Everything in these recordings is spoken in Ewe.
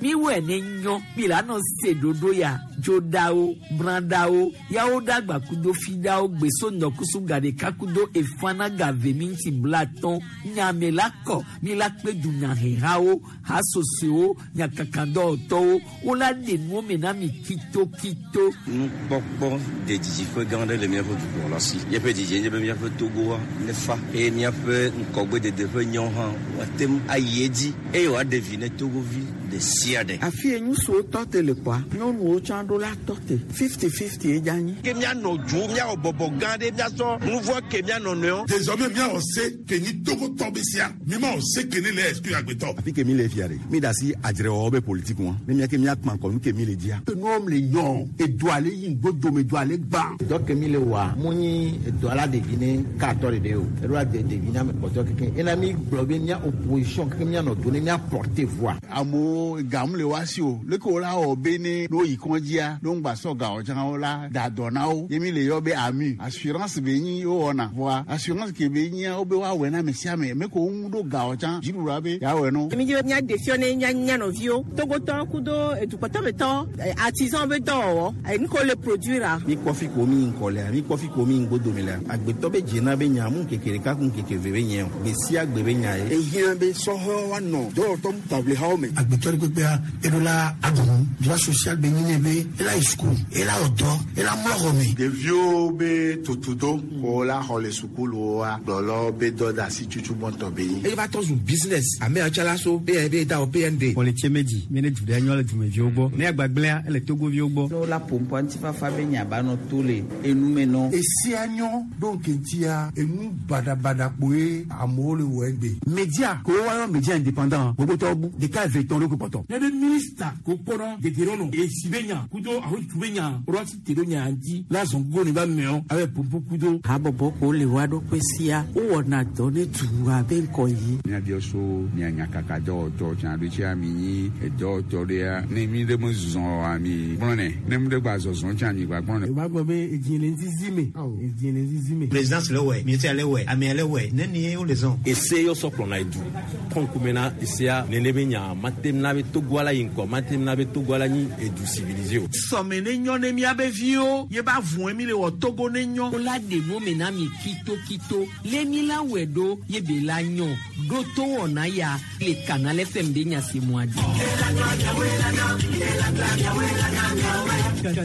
Miwɔe ne nyɔ mi la nɔ se ɖoɖo ya dzoɖawo brãɖawo yawo ɖagba kudo fiɖawo gbeso ŋdɔkusu gaɖeka kudo efana gave minti blatɔn nyame la kɔ mi la kpe dunyahehawo hasosoewo nyakakadɔwɔtɔwo wola ɖe nuwo me na mi kitokito. Nukpɔkpɔ de didiƒe gã aɖe le míaƒe dukplɔla si. Míaƒe didie nye be míaƒe Togoa nefa eye míaƒe ŋgɔgbedede ƒe nyawo hã woate ŋu ayi edzi eye wòaɖe vi ne Togovi ɖe sia ɖe. Afi ye ŋutsuwo tɔ te le kpɔa, nyɔnuwo tsã ɖo la tɔ te. 50-50 ye dze anyi. Ke míanɔ dzo, míawɔ bɔbɔ gã ɖe, míasɔ nu vɔ̃ ke mía nɔnɔewo. Désormais míawɔ se ke nyi Togotɔ be sia. Mímawɔ se ke ne le exclure agbetɔ. Afi ke mi le fia ɖe, mi da asi adzrewɔwɔ be politique ŋua, ne mía ke mía kpã ŋkɔ nu ke mi le dzia. Enuwo le nyɔ, edoa le yi ŋgbodome, doa le gbã. Dɔ ke mi le wɔa, mu nyi edoa la ɖevi ne katɔ ɖeɖe o, eɖo la de ɖevi na ame kpɔtɔe kekeŋ. Ena mi gblɔ be mía opposition kekeŋ mía nɔ do ne mía porter voix. Amewo gam le woa si o, leke wo la wɔ be ne ne woyi kɔdzia, ne woŋgba sɔ ga o tsã wo la da dɔ na wo. Ye mi le yɔ be AMU, assurance be nyi wowɔna. Vɔa assurance ke be nyia wobe woawɔe na ame sia ame. Me ko woŋu ɖo ga o tsã, dziɖuɖua be yeawɔe no. Mi dzi be míaɖe fiɔ ne mía mía nɔviwo, Togotɔwo kudo edukpɔtɔmetɔ, artisan be dɔwɔwɔ, nu ke wole produire. Mi kpɔ fi ko mi yi ŋkɔ lea, mi kpɔ fi ko mi yi ŋgbodome lea. Agbetɔ be dzena be nya mu ŋkeke ɖeka ku ŋkeke eve be nye o. Gbe sia gbe be nya ye. Ehiã be sɔhɛwo woanɔ dɔwɔtɔ taʋlihawo me. Agbetɔ ɖe kpekpea, eɖo la aɖu nu. Droit social be nyi nɛ be ela yi suku, ela wɔ dɔ, ela mlɔ xɔ me. Ɖeviwo be tutudo ko la xɔ le sukuluwoa, kplɔlawo be dɔdeasi tutu gbɔntɔ be nyi. Eye va trɔ zu business. Ame yawo tsã la so PND da wɔ PND. Xɔ le tse me dzi, mi ne du ɖe nyɔ le dumeviwo gbɔ. Ne agbagblẽa, ele Togoviwo gbɔ. Ne wola ƒo ŋkɔ ŋutifafa be nya ba nɔ to le enu me nɔ. Esia nyɔ ɖo ŋkeŋtia, enu baɖabaɖa kpoe amewo le wɔ egbe. Media ko woayɔ media indépendant gbogbotɔwo bu ɖeka eve tɔn ɖokui kpɔtɔ. Ne be minista ko kpɔnɔ dedienɔnɔ esi be nya kudo ahotu be nya ɖo asi te ɖo nya ŋuti la zɔn gogo ne ba meɔ abe pompo kudo. Habɔbɔ ko le woa ɖokui sia wowɔna dɔ ne dua be ŋkɔ yi. Míabiɔ so mia nyakaka dɔwɔtɔ tsã ɖo tsia mi nyi edɔwɔtɔ ɖea ne mi ɖe me zɔ oa mi gblɔnɛ ne mi ɖe gba zɔzɔ tsã mi gba gblɔnɛ. Wòva gblɔ be edzi le ŋzizi me, edzi le ŋzizi me. Présidence le wɔe, ministère le wɔe, amea le wɔe, nenie wole zɔn. Ese yɔ sɔ kplɔna edu kɔ ŋkume na esea nene be nya mate na be Togoa la yi ŋkɔ mate na be Togoa la nyi edu civilisé o. Sɔme ne nyɔ ne míabe viwo ye ba vɔe mi le wɔ Togo ne nyɔ. Wola ɖe nu me na mi kitokito le mi la wɔe ɖo ye be la nyɔ ɖo to wɔna ya le Canal FM be nya se mua dzi.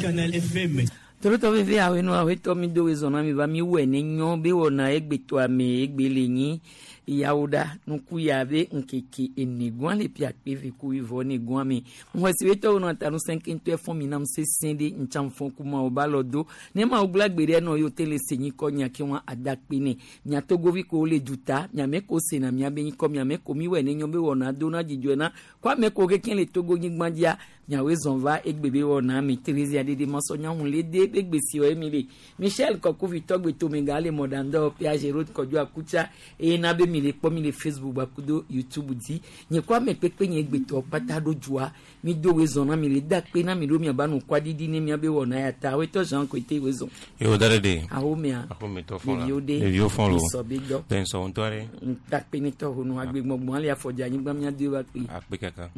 Canal FM. Tolotɔ veve awe nu awe tɔ mi do wezɔn na mi va mi wɔe ne nyɔ be wɔna egbetɔ ame egbe le nyi yawo ɖa nuku ya be ŋkeke ene gɔn le pia kpe ve ku wivɔ ne gɔn me ŋwɔsi be tɔwo nɔ ta nu sɛnkɛntɔ fɔn mi nam sesẽ ɖe ŋtsam fɔn kuma wo ba lɔ do ne ma wo gblɔ gbe ɖe nɔ yewo te le se nyikɔ nya ke wɔn ada kpe ne mia togovi ko le duta miame ko sena miabe nyikɔ miame ko mi wɔe ne nyɔ be wɔna do na dzidzɔe na ko ame ko keke le Togo nyigba dzia miawoe zɔn va egbe be wɔna mi Theresia ɖeɖe masɔ nyaŋu le de be gbe si wɔ emi le Michel Kɔkuvi tɔgbe tomega le mɔɖandɔ Piaget Road Kɔdzo Akutsa eye na be mi le kpɔ mi le Facebook gbakudo YouTube dzi nye ko ame kpekpe nye gbetɔ kpata ɖo dzoa mi do woe zɔn na mi le da kpe na mi ɖo miaba nu kɔaɖiɖi ne miabe wɔna ya ta woetɔ Jean Koete woe zɔn. Yo da ɖe de. Ahomea. Ahometɔ fɔlɔ. Ɖeviwo ɖe. Ɖeviwo fɔlɔ. Sɔ be dɔ. Bɛn sɔ ŋutɔ ɖe. Ŋtakpe ne tɔ honu agbe gbɔgbɔn ale afɔdzi anyigba mia do va kpe. Akpe kaka.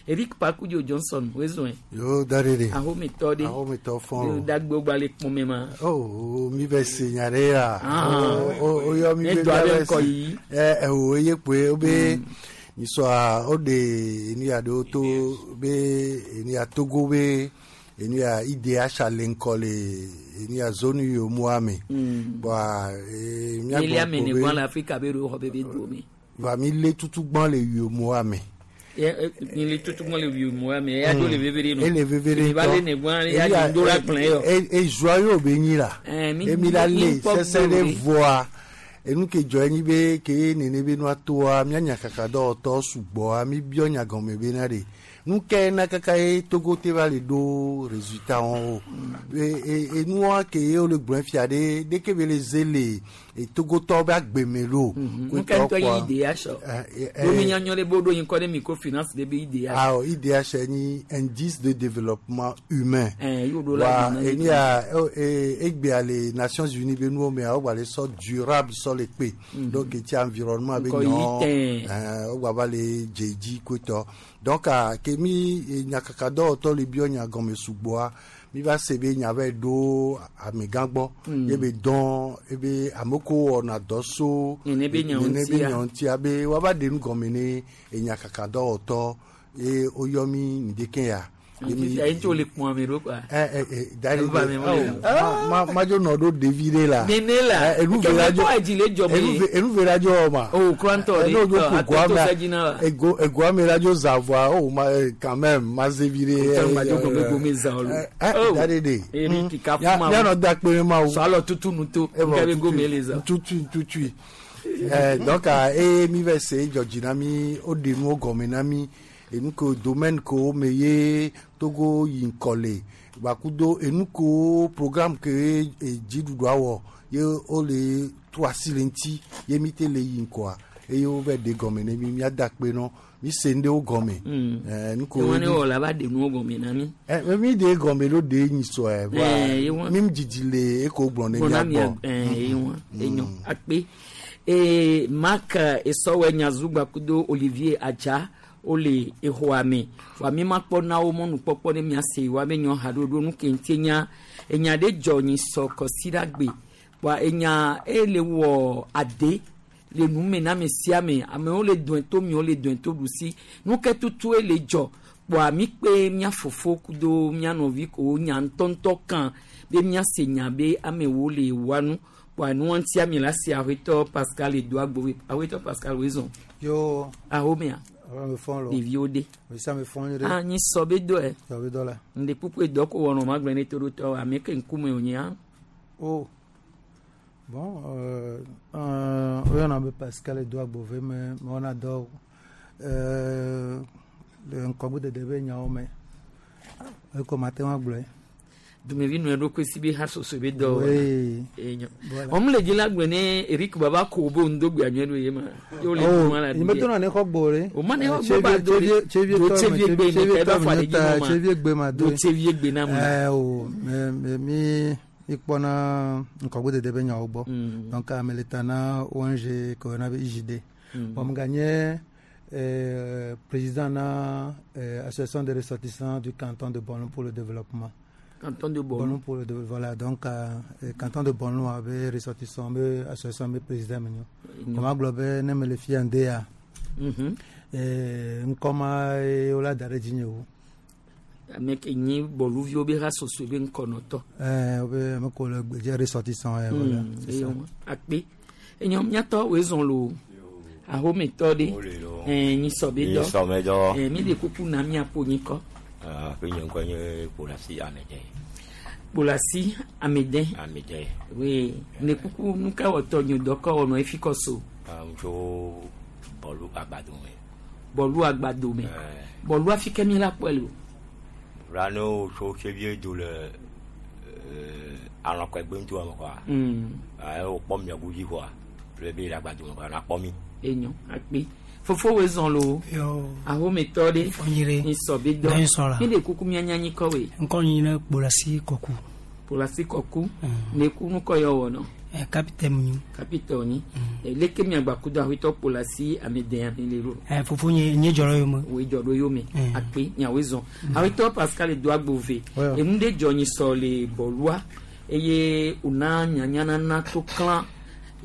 Eric Pakudio Johnson woe zɔn. Yo da ɖe de. Ahometɔ ɖe. Ahometɔ fɔlɔ. Dagbe gba le kpɔmɛ ma. Oh mi bɛ se nya ɖe ya. O yɔ mi Ne be dɔ aɖe mi ŋkɔ yi. Ɛ o ye kpoe o be nisɔa o de enu ya ɖewo to be enu ya Togo be enu ya IDH le ŋkɔ le enu ya zone yomoa me. Bɔn mía Elia gbɔ me ne ko be gbɔn le Afrika be ɖo xɔ be be do me. Va mi le tutu gbɔn le yomoa me. Mi le tutu gbɔn le yomoa me ya do le veve ɖe no. Ele veve ɖe Mi va le ne gbɔn ya do do la kplɔ yɔ. E zua yio be nyi la. Mi Emi la mi le kpɔ sese gbe ɖe o ɖe. vɔa. Enu ke dzɔ enyi be ke nene be nua toa mía nyakaka dɔwɔtɔ sugbɔa mi biɔ nya gɔme be na ɖe. Nu ke na kaka ye Togo te va le ɖo résultat wɔn o. Enua ke ye wole gblɔe fia ɖe ɖeke be le ze le Togotɔwo be agbeme lo. Nuka ŋutɔ ye IDH o? Ɖo mi nya nyɔ ɖe be woɖo ŋkɔ ɖe microfinance ɖe be IDH. Awɔ IDH nyi indice de développement humain. Ye woɖo la Wa gblɔ na mi. enia egbea le Nations Unies be nuwo mea wogba le sɔ durable sɔ le kpe. Donc eti environnement be Ŋkɔ yi nyɔ tɛ̃. Wogba va le dze dzi kotɔ. Donc ke mi nyakakadɔwɔtɔ le biɔ nya gɔme sugbɔa mi va se be nya va ɖo amegã gbɔ. Ye be dɔn ebe ame ko wɔna dɔ so Nene be nyawo nene be ŋutia. nyawo ŋutia be woava ɖe nu gɔme ne enyakakadɔwɔtɔ ye woyɔ mi ŋdeke ya. Ye mi- Fifia ye ŋutɔ wole kpɔn ame ɖo kɔa. Dari Eva me mole. ma madzo nɔ ɖo ɖevi ɖe la. Nene la. Enu Ke ve la me dzo. kpɔ edzi le dzɔ me. Enu ve la dzo wɔ ma. O kura ŋutɔ ɖe. N'o dzo Ɔ, ƒo ato goa to mea, se dzi na wa. ego ame la dzo zã vɔa o ma quand même ma ze vi ɖe. Ŋutɔ ma dzo gɔme gome zã o lo. Oh. Dari de. Eri kika fuma. Mianɔ da kpe ne ma wo. Sɔ alɔ tutu nu to. Evɔ Nke be tutui, gome le zã. tutui tutui. Donc eye mi va se dzɔdzi na mi woɖe nuwo gɔme na mi enu ke domaine kewo me ye Togo yi ŋkɔ le gbakudo enu kewo programme ke dziɖuɖua wɔ ye wole trɔ asi le ŋuti ye mi te le yi ŋkɔa eye wova ɖe gɔme ne mi míada akpe nɔ mi se ŋɖewo gɔme. Nu kewo Ewọn ne wɔ la va ɖe nuwo gɔme na mi. Mi ɖe gɔme ɖo ɖe nyi sɔe Ye wɔn. mi dzidzi le eko gblɔ ne Gbɔna mia mia gbɔ. ye wɔn enyo akpe. Mark Esɔwɛ Nyazugba kudo Olivier Adza wole exɔa me. Vɔa mi ma kpɔ na wo mɔnukpɔkpɔ ne miase wa be nyɔ haɖoɖo nu ke ŋuti nya enya ɖe dzɔ nyi sɔ kɔsiɖagbe. Vɔa enya ele wɔ ade le nu me na ame sia ame amewo le dɔe to miwo le dɔe to ɖusi nu ke tutu ele dzɔ kpɔa mi kpe mía fofo kudo mía nɔvi ko nya ŋutɔŋutɔ kan be míase nya be amewo le wa nu kpɔa nua ŋutia mi la se aƒetɔ Pascal Edoagbo aƒetɔ Pascal wezɔn Yo, ahomea ame fɔn lo. ɖeviwo de Me sia me fɔn nyuie ɖe. ah nyi sɔ be dɔe Sɔ be dɔ la. ŋɖe kpukpu edɔ ko wɔnɔ ma gblɔ ne to ɖo tɔ ame ke ŋkume wònyia Oh. Bon, woyɔna be Pascal Edoagbove me mewɔna dɔ le ŋkɔgbedede be nyawo me. Eko mate ŋu agblɔe. Dumevi nɔ eɖokui si be hasoso be dɔ Oui. enyo Voilà. wɔn le dzi la gblɔ ne Eric Baba ko bo ŋdogbe anyɔ ɖo ye ma ye wole Oh, duma la nye medona ne xɔ gbɔ ɖe. O ma ne xɔ gbɔ ba do ɖe. Tsevie Do tɔ me, tsevie gbe ne tsevie ka eba tɔ fɔ me aɖe dzi ta, mɔ ma. tsevie gbe ma Do do. tsevie gbe na mo. O, me me mi mi kpɔna ŋkɔgbedede be nyawo gbɔ. Donc ame le ta na ONG ke woyɔna be IJD. Bon, meganye président na association des ressortissants du canton de Bornou pour le développement. Canton de Bornou. Bornou pour le développement. Voilà, donc canton de Bornou abe ressortissant be association be président menyo. Kɔma gblɔ be ne mele fia ŋde ya. Ŋkɔ ma ye wola da ɖe dzinye o. Ame ke nyi bɔluviwo be hasoso be ŋkɔnɔtɔ. Wobe ame ko le gbedze ressortissant voilà. C'est ça. Eyo akpe enyo miatɔ wezɔn lo ahometɔ ɖe nyi sɔ be dɔ Nyi sɔ be dɔ. Mi le kuku na miaƒo nyikɔ. Ƒe nye ŋkɔ nye Kpolasi Amede. Kpolasi Amede. Amede. Oui, ne kuku nuka wɔtɔ nyo dɔkɔ wɔnɔ efi kɔ so. Tso Bɔlu Agbado me. Bɔlu Agbado me. Bɔlu afi ke mi la kpɔe le o. Rano tso Tsevie do le alɔkɔegbe ŋuti me kɔa. Wokpɔ mia godzi kɔa. Le be le Agbado me kɔa na kpɔ mi. Enyo akpe. Fofo wezɔn lo. Ahometɔ ɖe. Fɔnyire. Nyi sɔ be dɔ. Nyi sɔ la. Mi le kuku mia nya nyikɔ we. Ŋkɔ nyi ne Kpolasi Kɔku. Kpolasi Kɔku. Ne ku nukɔ yɔ wɔ nɔ. Capitaine nyi. Capitaine nyi. Leke mia gba kudo aƒetɔ Kpolasi Amede ame le ro. Fofo nye nye dzɔ ɖe yome. Woe dzɔ ɖo yome. Akpe nyawoe zɔn. Aƒetɔ Pascal Edoagbove. Enu ɖe dzɔ nyi sɔ le bɔlua eye wòna nyanyanana to klã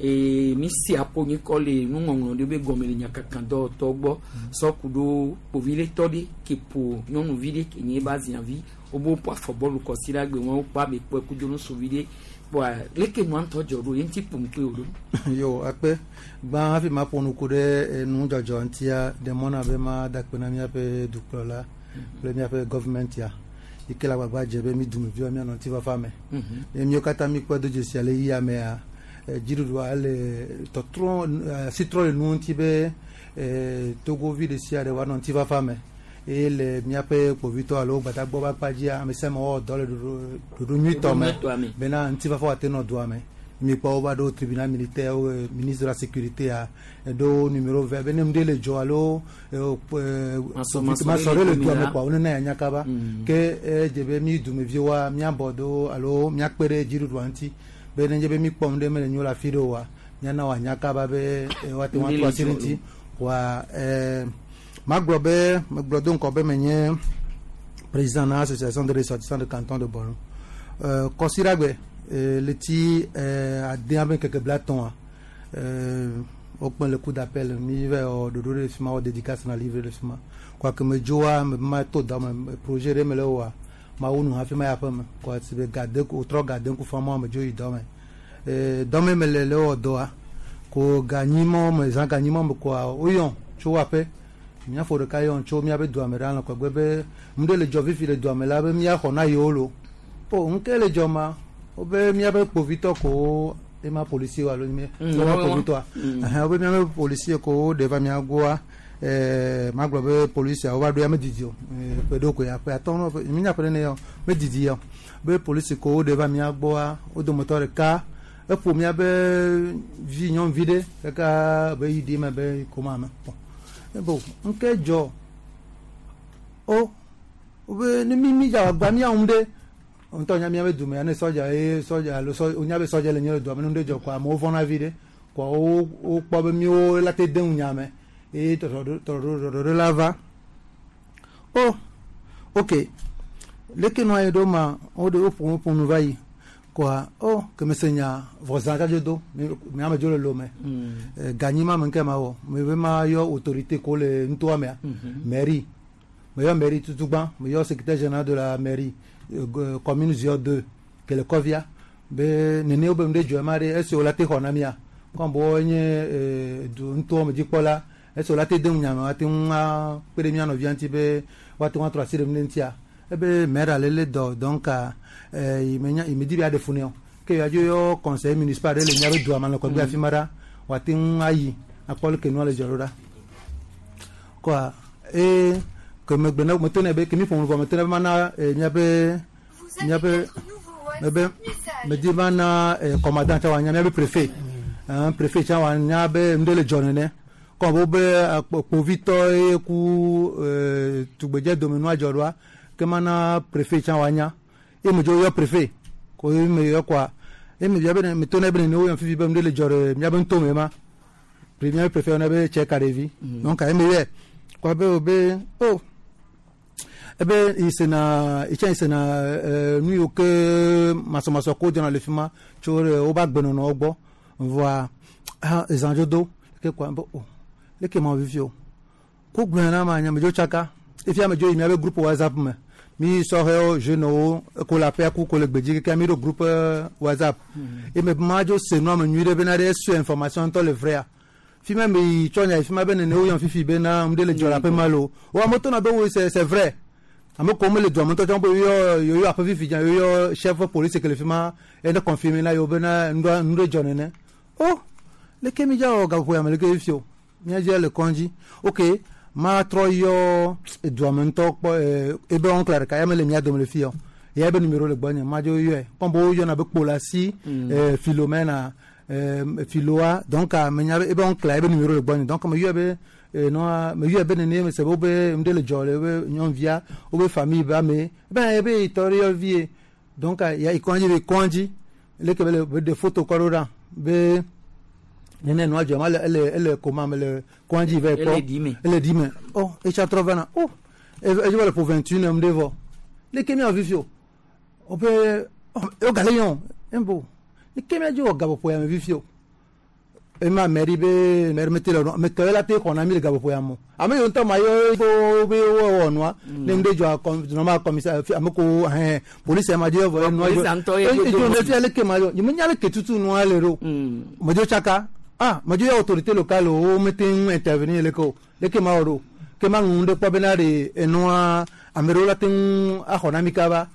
ee mi si aƒo nyikɔ le nuŋɔŋlɔ ɖe be gɔme le nyakaka dɔwɔtɔ gbɔ sɔ ku ɖo kpoviletɔ ɖe ke ƒo nyɔnuvi ɖe ke nye eba ziavi wobe woƒo afɔ bɔlu kɔsi ɖe agbe wɔn wokpɔ ame kpɔe kudo nusuvi ɖe kpɔa leke nua ŋutɔ dzɔ ɖo ye ŋuti ƒom kple wo ɖo. Yo, akpe gbã hafi maƒo nu ku ɖe nudzɔdzɔ ŋutia ɖe mɔ na be mada akpe na míaƒe dukplɔla kple míaƒe gɔvimɛntia yi ke le agbagba dze be mi dumeviwo míanɔ ŋutifafa me. Ye míawo katã míkpɔe do dzesi ale yia mea dziɖuɖua ele tɔtrɔ asi trɔ le nu ŋuti be togovi ɖe sia ɖe woanɔ ŋutifafa me. Eye le míaƒe kpovitɔ alo gbadagbɔ be akpa dzia, ame sia ame wɔwɔ dɔ le ɖoɖo nyuitɔ me bena ŋutifafa wòate nɔ dua me. Mikpɔ wova ɖo tribunal militaire, ministre de la sécurité a eɖo numéro vert be ne nu ɖe le dzɔ alo masɔ ɖe le dua me kɔa, wonena ya nya kaba. Ke edze be mi dumeviwoa míabɔ do alo míakpe ɖe dziɖuɖua ŋuti be nenye be míkpɔ nu ɖe mele nyo le afi ɖe oa, míana wòanya kaba be woate ŋu atrɔ asi ɖe ŋuti. Wa magblɔ be megblɔ do ŋkɔ be menye président na association de ressortissants de canton de Bornou. Kɔsiɖagbe leti adea be ŋkeke 30a, wokpe le cour d'appel, mi va wɔ ɖoɖo ɖe fi ma, wɔ dédicace na livre le fi ma. Kɔa ke medzoa, me ma to dɔ me, projet ɖe me le wɔa, mawu nu hafi ma yi aƒe me. Kɔa si be gade wotrɔ gade ŋku fama, medzo yi dɔ me. Dɔ me mele le wɔ dɔa ko ganyimɔ me, zã ganyimɔ me kɔa, woyɔ tso aƒe míafo ɖeka yɔ tso míaƒe dua me ɖa le kɔgbe be nu ɖe le dzɔ fifi le dua me la be míaxɔ na yewo lo. O ŋke le dzɔ ma, wobe míaƒe kpovitɔ kowo ema policier alo mi míaƒe kpovitɔa, ɛhɛn, wobe míaƒe policier kowo ɖe va mía gbɔa. Magblɔ be policier wova ɖo ya medidi o, ƒe ɖewo koe, ƒe 5, mínya ƒe nene yɔ medidi yɔ be polisi kowo ɖe va mía gbɔa, wo dometɔ ɖeka eƒo míaƒe vi nyɔnuvi ɖe kaka be yi ɖi me be koma me. Bon, ŋke dzɔ o, wobe ne mi dza agba mía ŋu ɖe ŋutɔ nya míaƒe dume ya ne sɔdza ye sɔdza alo sɔ wonya be sɔdza le nye le dua me, ne nu ɖe dzɔ kɔa, amewo vɔna vi ɖe kɔa, wo wokpɔ be míwo la te de ŋu nya me eye tɔɖɔɖo la va. O ok, leke nua yi ɖo ma, wo ɖe woƒo nu va yi kɔa, o ke me se nya vɔ zã tsadzo do mi ame dzo le Lome. Ganyi ma me ŋke ma wɔ me be ma yɔ autorité ko le nutoa mea, mairie, me yɔ mairie tutugbã, me yɔ secrétaire général de la mairie, commune 02 ke le Kɔvia be nene wo be nu ɖe dzɔ ma ɖe esi wo la te xɔ na mia kɔn bo nye du nutoa me dzikpɔla, esi wo la te de ŋu nya me, woate ŋu akpe ɖe mía nɔvia ŋuti be woate ŋu atrɔ asi ɖe nu ɖe ŋutia. Ebe maire ale le dɔ, donc menya medi be aɖe fu nɛ o, ke yeadzo yɔ conseiller municipal ɖe le míaƒe dua me le kɔgbe afi ma ɖa, woate ŋu ayi akpɔ leke nua le dzɔ ɖo ɖa. Kɔa eye ke megbe ne meto nɛ be ke mi ƒo nu vɔ, meto nɛ be mana míaƒe mebe medi mana commandant tsã wòanya, míaƒe préfet, préfet tsã wòanya be nu ɖe le dzɔ nene kɔn bo be kpovitɔ ye ku tugbedze dome nua dzɔ ɖoa, ke mana préfet tsã wòanya. Ye medzo yɔ préfet ko ye me yɔ kɔa, ye me bia be meto nɛ be nene woyɔ fifi be nu ɖe le dzɔ ɖe míaƒe ŋutome ma, míaƒe préfet yɔnɛ be tsɛ ka ɖevi. Donc ye me yɔe kɔa be wo be o ebe isena itsã isena nu yiwo ke masɔmasɔ ko dzɔna le fi ma tso woƒe agbenɔnɔwo gbɔ vɔa ezã dzo do ke kɔa be o leke ma vivi o ko gblɔe na ma nya medzo tsaka efia medzo yi míaƒe groupe WhatsApp me, mi sɔhɛwo, jeunewo ko le aƒea ku ko le gbedzi keke mi ɖo groupe WhatsApp eye me ma dzo se nua me nyui ɖe bena ɖe esue information ŋutɔ le vrai fi ma me yi tsɔ nya yi fi ma be nene woyɔ fifi bena nu ɖe le dzɔ le aƒe ma lo wo ame tɔna be wo c'est vrai, ame ko mele dua me ŋutɔ tsã be yoyɔ yoyɔ aƒe fifi dza yoyɔ chef police ke le fi ma ene confirmer na yewo bena nu ɖe dzɔ nene. O leke mi dza wɔ gaƒoƒo ya me leke fifi o míadze le kɔndzi. Ok, matrɔ yɔ edua me ŋutɔ kpɔ ebe oncle ɖeka ya mele mía dome le fi yɔ ya ebe numéro le gbɔnye, madzo yɔe kɔn bo woyɔna be Kpolasi Philomena Philoa, donc menya be ebe oncle ebe numéro le gbɔnye, donc me yɔe be nɔa me yɔe be nene me se be wobe nu ɖe le dzɔ le wobe nyɔnuvia wobe famille be ame ebe ebe tɔ ɖe yɔ vie, donc ya yi kɔndzi be kɔndzi leke be le be ɖe photo kɔ ɖo ɖa be nene nua dzɔ ma le ele ele koma me le kɔndzi va kpɔ ele di me oh etsa trɔ va na oh edze be le ƒo 21 ɖe vɔ leke miawɔ fifi o wobe wogale yɔ embo leke miadzo wɔ gaƒoƒo ya me fifi o ema mairie be maire mete le metɔ ye la te xɔ na mi le gaƒoƒo ya me ame yiwo ŋutɔ ma yɔ wo be wowɔ nua ne nu ɖe dzɔ normal commissaire ame ko hɛn polisi ma dzo vɔ nua dzo edzo ne fia leke ma yɔ nyemenya leke tutu nua le ɖo medzo tsaka ah medzo yɔ autorité locale wo mete ŋu intervenir leke o leke ma wɔ ɖo ke ma ŋu ɖe kpɔ bena ɖe enua ame ɖewo la te ŋu axɔ na mi kaba,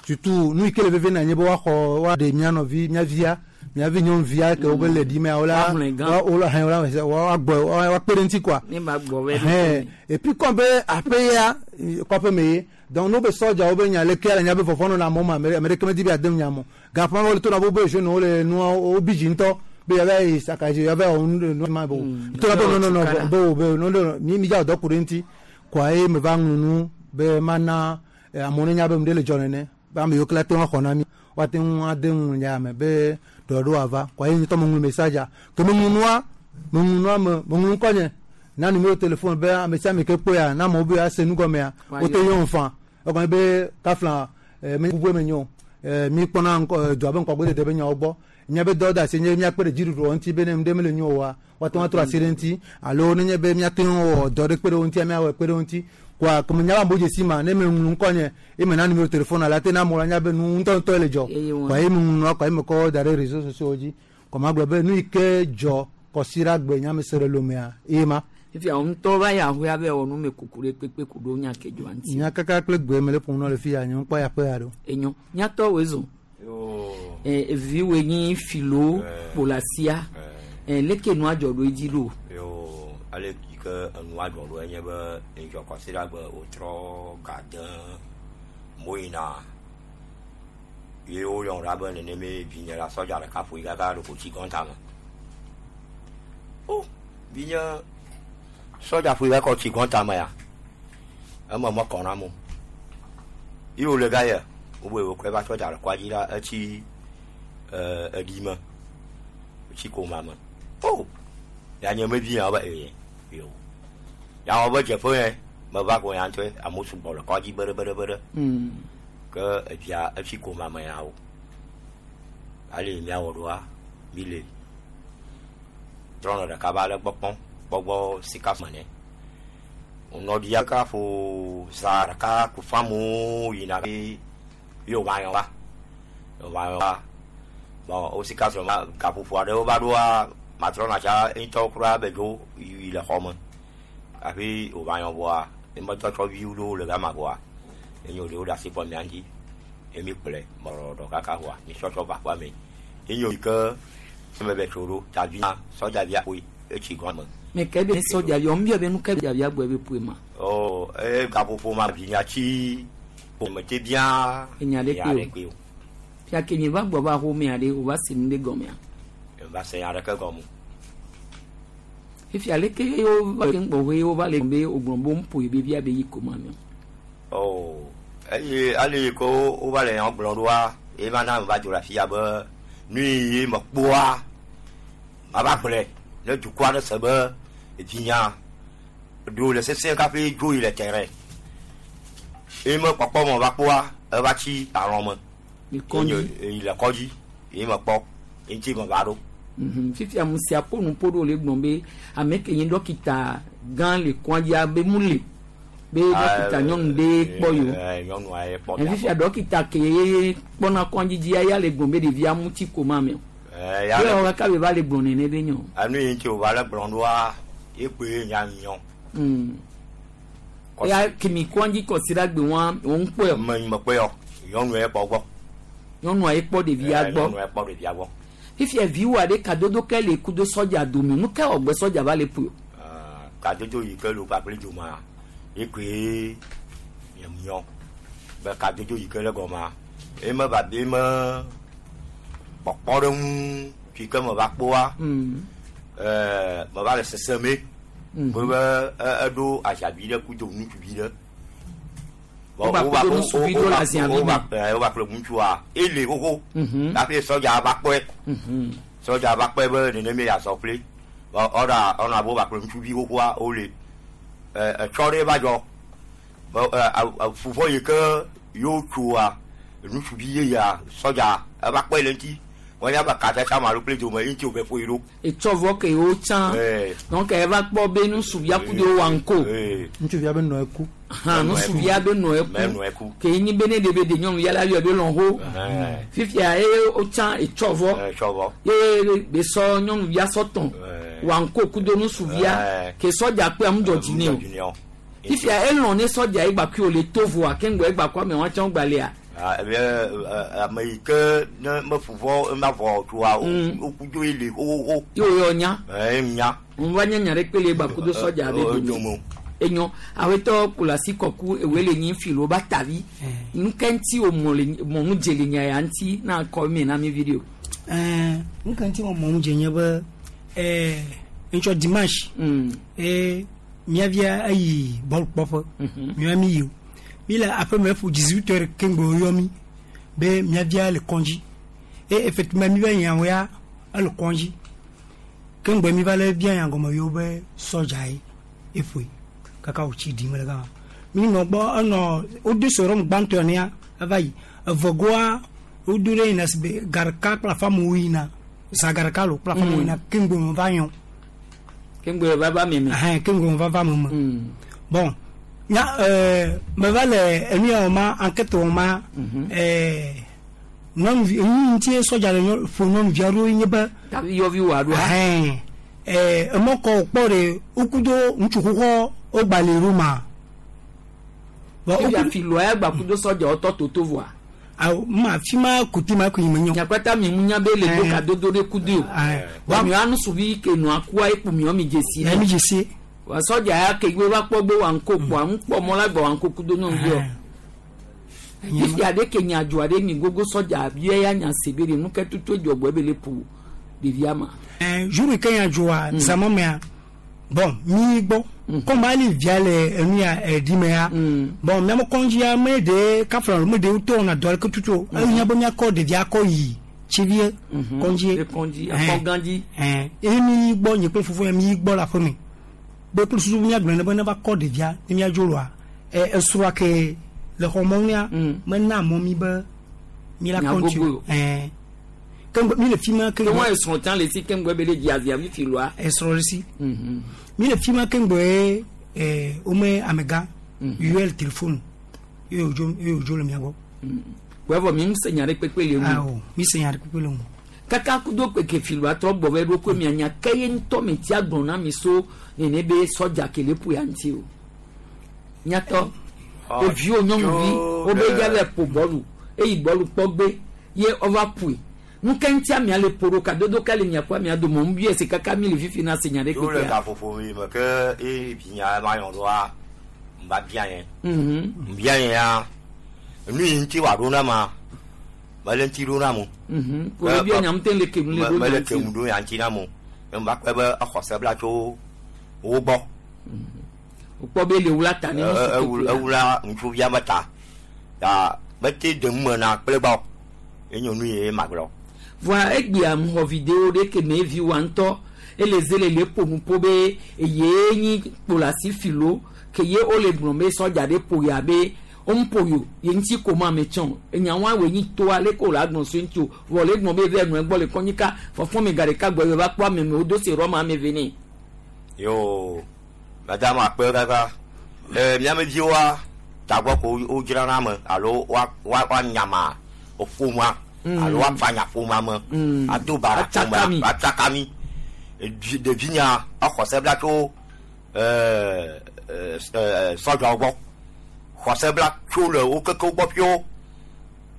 surtout nu yi ke le veve na nye be woaxɔ woaɖe mía nɔvi mía via. miavi nyɔnuvia ke wobe le ɖi mea wola Woahlẽ gã. wola hɛn wola woagbɔ woakpe ɖe ŋuti quoi. Ne ba gbɔ bɛ Hɛn et puis comme be aƒe ya kɔƒe me ye donc n'o be sɔdzawo be nya leke le nya be vɔvɔ nɔna amewo me ame ame ɖeke medi be yeade nya me o gaƒe wole to na bo be jeune wo le nua wo bi dzi ŋutɔ be yeava yi sakadzi yeava wɔ nu nu ma be o to na be no no no be o be no no mi mi dza wɔ dɔ ku ɖe ŋuti kɔa ye me va ŋlɔ nu be mana amewo ne nya be nu ɖe le dzɔ nene be ame yiwo ke la te ŋu axɔ na mi woate ŋu ade ŋu nya me be ɖɔɖo ava kɔa ye ŋutɔ me ŋlɔ message ke me ŋlɔ nua me ŋlɔ nua me me ŋlɔ ŋkɔ nye na numéro téléphone be ame sia ame ke kpɔea na amewo be ase nu gɔmea wote yɔ ŋfa egɔme be kafla me bubue me nyo mi kpɔna ŋkɔ dua be ŋkɔgbedede be nyawo gbɔ míabe dɔ da asi nye míakpe ɖe dziɖuɖu ŋuti be ne nu ɖe mele nyo oa woate ŋu atrɔ asi ɖe ŋuti alo nenye be míate ŋu wɔ dɔ ɖe kpe ɖe wo ŋutia míawɔ kpe ɖe wo ŋuti koa keme nya be amewo dzesi ma ne me ŋlɔ ŋkɔ nye ye me na numéro téléphone la te na amewo la nya be nu ŋutɔŋutɔ le dzɔ koa ye me ŋlɔ nua koa ye me kɔ da ɖe réseaux sociaux dzi kɔ ma gblɔ be nu yi ke dzɔ kɔsiɖagbe nya me se ɖe lomea ye ma. Fifia wo ŋutɔ va yi ahoa be wɔ nu me kuku ɖe kpekpe ku ɖo nya ke dzɔa ŋuti. Nya kaka kple gbe me le ƒom nɔ le fi ya nye ŋkpɔ ya ƒe ya ɖo. Enyo nyatɔ woe zɔ. Evi woe nyi filo kpolasia. Leke nua dzɔ ɖo edzi ɖo. Yo ale yi ke enua dzɔ ɖo enye be edzɔ kɔsiɖagbe wotrɔ gade moyina ye woyɔ ɖa be neneme vinye la sɔdza ɖeka ƒoe kaka ɖo ko tsi gɔnta me. O vinye sɔdza ƒoe kaka tsi gɔnta me ya eme mekɔ na mo. Ye wòle ga ye wobe wokɔe va sɔdza le kɔadzi la etsi eɖi me etsi koma me. O ya nye mevi ya be ee yo ya wɔ be dzeƒe ye meva ko ya ŋutɔe amewo sugbɔ le kɔadzi beɖe beɖe beɖe. Ke evia etsi koma me ya o. Ale míawɔ ɖoa mi le trɔnɔ ɖeka va le gbɔ kpɔm gbɔgbɔ sika me nɛ. Wònɔ ɖia ka ƒo za ɖeka ku famu yina be ye wòva yɔ va. Wòva yɔ va. Bon wo sika srɔ̃ ma gaƒoƒo aɖewo va ɖoa matrɔna tsa ŋutɔ kura be dzo yi le xɔ me. Hafi wòva yɔ vɔa emetɔtsɔ viwo ɖewo le gama vɔa enye ɖewo ɖe asi kpɔ mía ŋuti. Ye mi kplɔe mɔɖɔɖɔ kaka vɔa mi tsɔtsɔ va aƒea me. Enye yi ke eme be tso ɖo tavia sɔdzavia ƒoe etsi gɔme. Me ke be sɔdzavia wo be nu ke dzavia gbɔ be ƒoe ma. O e gaƒoƒo ma vinya tsi mete bia Enya ɖe kpe o. o. Fia ke nye va gbɔ va xɔmea ɖe wòva se nu ɖe gɔmea. Va se nya ɖeke gɔme. Fifia leke ye wova ke ŋgbɔ ye wova le be wògblɔ be woƒoe be via be yi koma me. O eye ale yi ke wova le nya gblɔ ɖoa ye ma na me va dzo le afia be nu yi me kpɔa mava gblɔe ne dukɔa ɖe se be vinya ɖewo le sesẽ kafi dzo yi le terrain. Ye me kpɔkpɔ me va kpɔa eva tsi alɔ me. Le kɔdzi. Yi le kɔdzi ye me kpɔ ŋuti me va ɖo. Fifia mu sia ƒo nu ƒo ɖo le gblɔ be ame ke nye dɔkita gã le kɔdzia be mu le be dɔkita nyɔnu ɖe kpɔ yo. Nyɔnua ye kpɔ. Fifia dɔkita ke ye kpɔna kɔdzi dzia ya le gblɔ be ɖevia mu tsi koma me o. Ya Ye wɔ kaka be va le gblɔ nene be nyɔ. Enu yi ŋuti wòva le gblɔ ɖoa ye kpoe nya nyɔ. Ya kemi kɔdzi kɔsiɖagbe wa wo ŋkpɔe o. Me me kpɔe o. Nyɔnua ye kpɔ gbɔ. Nyɔnua ye kpɔ ɖevia gbɔ. Nyɔnua ye kpɔ ɖevia gbɔ. Fifia viwo aɖe kadodo ke le kudo sɔdza dome nu ke wɔ gbe sɔdza va le ƒoe o. Kadodo yi ke le kpakple dzoma ye koe nyɔ be kadodo yi ke le gɔmea ye me va be me kpɔkpɔ ɖe ŋu fi ke me va kpɔa me va le sese me be be eɖo azavi ɖe kudo ŋutsuvi ɖe. Wova kudo ŋutsuvi ɖo le aziavi me. Wova kple ŋutsua ele xoxo hafi sɔdza va kpɔe. Sɔdza va kpɔe be neneme yeazɔ kple ɔɖa ɔna be wova kple ŋutsuvi xoxoa wole etsɔ ɖe va dzɔ fufɔ yi ke yewo tsoa ŋutsuvi yeyea sɔdza eva kpɔe le ŋuti wɔnya be katata ma ɖo kple dome ŋuti wòve ƒoe ɖo. Etsɔ vɔ ke yewo tsã donc eva kpɔ be ŋutsuvia kudo wa ŋko. Ŋutsuvia be nɔ eku. Ŋutsuvia be nɔ eku ke nyi be ne ɖe be ɖe nyɔnuvia la yɔ be lɔn ho. Fifia ye wotsã etsɔ vɔ ye be sɔ nyɔnuvia sɔ tɔn wa ŋko kudo ŋutsuvia ke sɔdza kpe amu dzɔ dzi nɛ o. Fifia elɔn ne sɔdza egba kui wòle to voa ke ŋgbɔ egba kɔ ame wɔn tsã gbalẽa. Ame yi ke ne meƒu vɔ ema vɔ tsoa wokudo ye li xoxoxo. Ye wo yɔ nya. Ɛɛ nya. Ŋu va nye nya ɖe kpe le gba kudo sɔdza be dome. Enyo awetɔ kplasi kɔku ewe le nyi filo ba tavi. Nu ke ŋuti o mɔ le mɔ nu dze le nya ya ŋuti na kɔ mi na mi video. Ɛɛ nu ke ŋuti mɔ nu dze nye be ɛɛ ŋutsɔ dimanche. Ee miavia eyi bɔl kpɔƒe. Mia mi yi o. Mi le aƒeme ƒo 18h keŋgbe woyɔ mi be miavia le kɔndzi. E effectivement mi va yia ya ele kɔndzi. Keŋgbe mi va le bia nya gɔme yewo be sɔdza ye eƒoe kaka wòtsi ɖim le gama. Mi nɔ gbɔ enɔ wodo serum gbãtɔ nea eva yi. Evegoa wodo ɖe yina si be garika kple afamewo yina. Zã garika lo kple afamewo yina keŋgbe me va yɔ. Keŋgbe va va meme. Ɛhɛn keŋgbe me va va meme. Bon nya me va le enu ya wɔ ma enquête wɔ ma nyɔnuvi enu ŋuti sɔdza le ƒo nyɔnuvi aɖewo nye be. Tavi yɔvi wɔ aɖoa. Ɛhɛn emɔ kɔ wòkpɔ ɖe wokudo ŋutsu xoxo wogba le Roma. Fifia filoa ya gba kudo sɔdza wotɔ toto voa. Awo ma fi ma kuti ma ko yi me nyɔ. Nyakpata mi ŋu nya be le do kadodo ɖe kudo o. Wa mi anu suvi ke nua kua ekpu mi mi dzesi. Mi dzesi. Wa sɔdza ya ke gbe va kpɔ gbe wa ŋko kpɔ ŋu kpɔ mɔ la gbɔ wa ŋko kudo nyɔnuvi o. Fifia ɖe ke nya dzɔa ɖe mi gogo sɔdza bia ya nya se be ɖe nu ke tutu dzɔ gbɔ ebe le ƒo ɖevia ma. Jour ke nya dzɔa zama mea bon mi gbɔ comme ali via le enu ya ɛdi me ya bon miame kɔndzia me de kafla me de wotɔ wɔna dɔ aleke tutu o enya be miakɔ ɖevia kɔ yi tsivie kɔndzi kɔndzi akɔgãdzi eye mi gbɔ nye kple fofo ya mi gbɔ le aƒe me be kple susu miagblɔ ne be ne va kɔ ɖevia ne miadzo loa esrɔ̃a ke le xɔ mɔnu ya mena mɔ mi be mi la kɔntinu kengbe mi le fi ma kengbe ke wɔn esrɔ̃ tã le si kengbe be le dzi azia fifi loa esrɔ̃ le si mi le fi ma kengbe wome amegã yɔe le telefone eye wòdzo eye wòdzo le mia gbɔ. Wẹ́fọ̀ mi ń se nya ɖe kpekpe le ŋu. Awo mi se nya ɖe kpekpe le ŋu. Kaka kudo kpeke filoa trɔ gbɔ vɛ ɖo ko mia nya ke ye ŋutɔ mi tia gblɔ na mi so nene be sɔdza ke le ƒo ya ŋuti o. Nyatɔ eviwo nyɔnuvi wobe dza vɛ ƒo bɔlu eyi bɔlu kpɔ gbe ye ɔva ƒoe. Nu ke ŋuti amea le ƒo ɖo kadodo ka le mia kɔ amea dome ŋu biɛ se kaka mi le fifi na se nya ɖe Tso le kpekpea. gaƒoƒo mi me ke eye vinya ma yɔ ɖoa m va bia yɛ. M bia yɛ ya nu yi ŋuti wòaɖo na ma mele ŋuti ɖo na mo. Ko le bia nya ŋutɛ le kemu le ɖo Mele nya ŋuti. kemu ɖo nya ŋuti na mo. Ye m va kpɔe be exɔ se bla tso wo gbɔ. Wòkpɔ be le wla ta ne nusu kpekpea. Ewula ŋutsuvia me ta. Ya mete dem me na kple gbɔ. Enyo nu ye magblɔ. Voa egbea ŋxɔ video ɖe ke me vi wa ŋutɔ ele ze le le ƒo nu ƒo be eye nyi kplasi filo ke ye wole gblɔm be sɔdza ɖe ƒo ya be woŋƒo yo ye ŋuti ko ma ame tsɔ enyawoa woe nyi toa leke wòle agblɔ so ŋuti o vɔ le gblɔm be eve nɔe gbɔ le kɔnyika fɔfɔ mi gaɖeka gbɔ eve va kpɔ ame me wodo se rɔma ame ve nɛ. Yo madame akpe kaka miame viwoa tagbɔ ko wodzrana ame alo wa wa woanyama ƒomea alo woafanya ƒomea me ado bara ƒomea atsaka mi ɖevi nya exɔ se bla tso sɔdzawo gbɔ xɔ se bla tso le wo kekewo gbɔ ƒio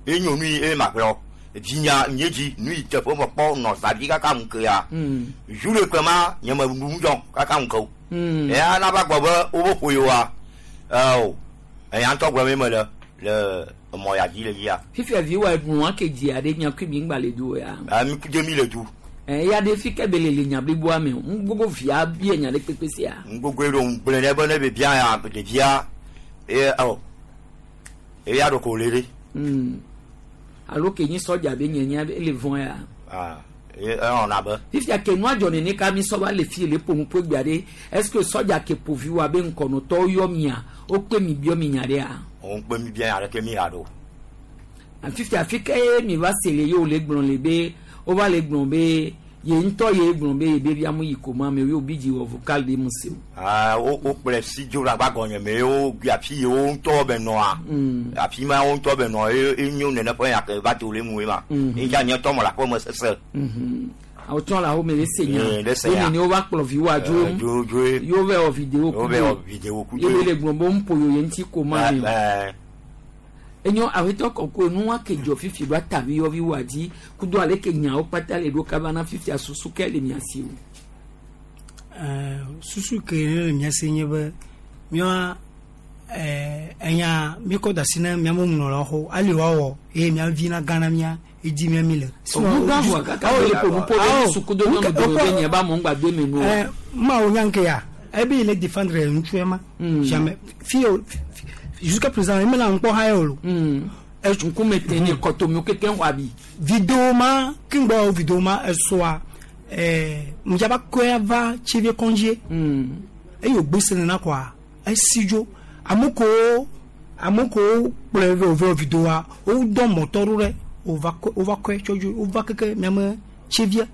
enyo nu yi eye magblɔ vinya nye dzi nu yi teƒe me kpɔ nɔ zavi kaka ŋu ke ya zu le kpe ma nye me nu dzɔ kaka ŋu ke o eya nava gbɔ be wobe ƒo yewoa o eya ŋutɔ gblɔm ye me le le emɔ ya dzi le dzia. Fifia vi wa nua ke dzi aɖe mia kui mi ŋgba le du ya. Mi ku mi le du. Eya ɖe fi ke be le le nya bliboa me o ŋgbogbo via bia nya ɖe kpekpe sia. Ŋgbogbo ɖo ŋgblẽ ɖe be ne bebia ya ɖevia eye ɔ eya ɖo ko le ɖe. Alo ke nyi sɔdza be nye nya ele vɔn ya. Ewɔna be. Fifia ke nua dzɔ nene ka mi sɔ va le fi le ƒo nu ƒo gbea ɖe est ce que sɔdza ke ƒo vi wa be ŋkɔnɔtɔwo yɔ mia wokpe mi biɔ mi nya ɖea. Wokpe mi bia nya ɖeke mi ya ɖo. Fifia fi ke mi va se le ye wòle gblɔ le be wova le gblɔ be ye ŋutɔ ye gblɔ be ye be via mu yi koma me ye bi dzi wɔ vocal ɖe mu se o. Wo kplɔe si dzo le agba gɔnye me wo afi yi wo ŋutɔ be nɔa afi ma wo ŋutɔ be nɔ ye enyo nene ƒe nya ke va do le mu ye ma eya nye tɔ me le aƒe me sese. Awo tsɔ le awo me le se nya le se nya ye nene wova kplɔ vi wa dzo dzo dzo ye wova wɔ video kudo ye wova wɔ video kudo ye be le gblɔ be ŋƒo yo ye ŋuti koma me o. Enyo awetɔ kɔkɔe nu wa ke dzɔ fifi ɖo atavi yɔvi wa dzi kudo ale ke nyawo kpata le ɖo kaba na fifia susu ke le mia si o. Susu ke ne le mia si nye be míawoa enya míkɔ da asi na míaƒe nunɔlawo xɔ ali woawɔ eye mía vi na gã na mía edzi mía mi le. Ɔmu gã vɔa kaka be le ƒo nuƒo ɖe nusu kudo nyɔnu dome be nye ba mɔ ŋgba do eme nu o. Mawo nya nke ya ebe yi le défendre ŋutsu ma jamais fi o jusqu'à présent eme la ŋkpɔ ha ye o lo. Ŋkume te ne kɔtomiwo kekeŋ xɔ abi. Vidéo ma kingbɔ vidéo ma esɔa ŋdzaba kɔe va tsivie kɔndzie eye wògbe se nena kɔa esi dzo ame kewo kplɔe vɛ wòve vidéoa wodɔ mɔtɔ ɖo ɖe wova kɔe tsɔ dzo wova keke miame tsivie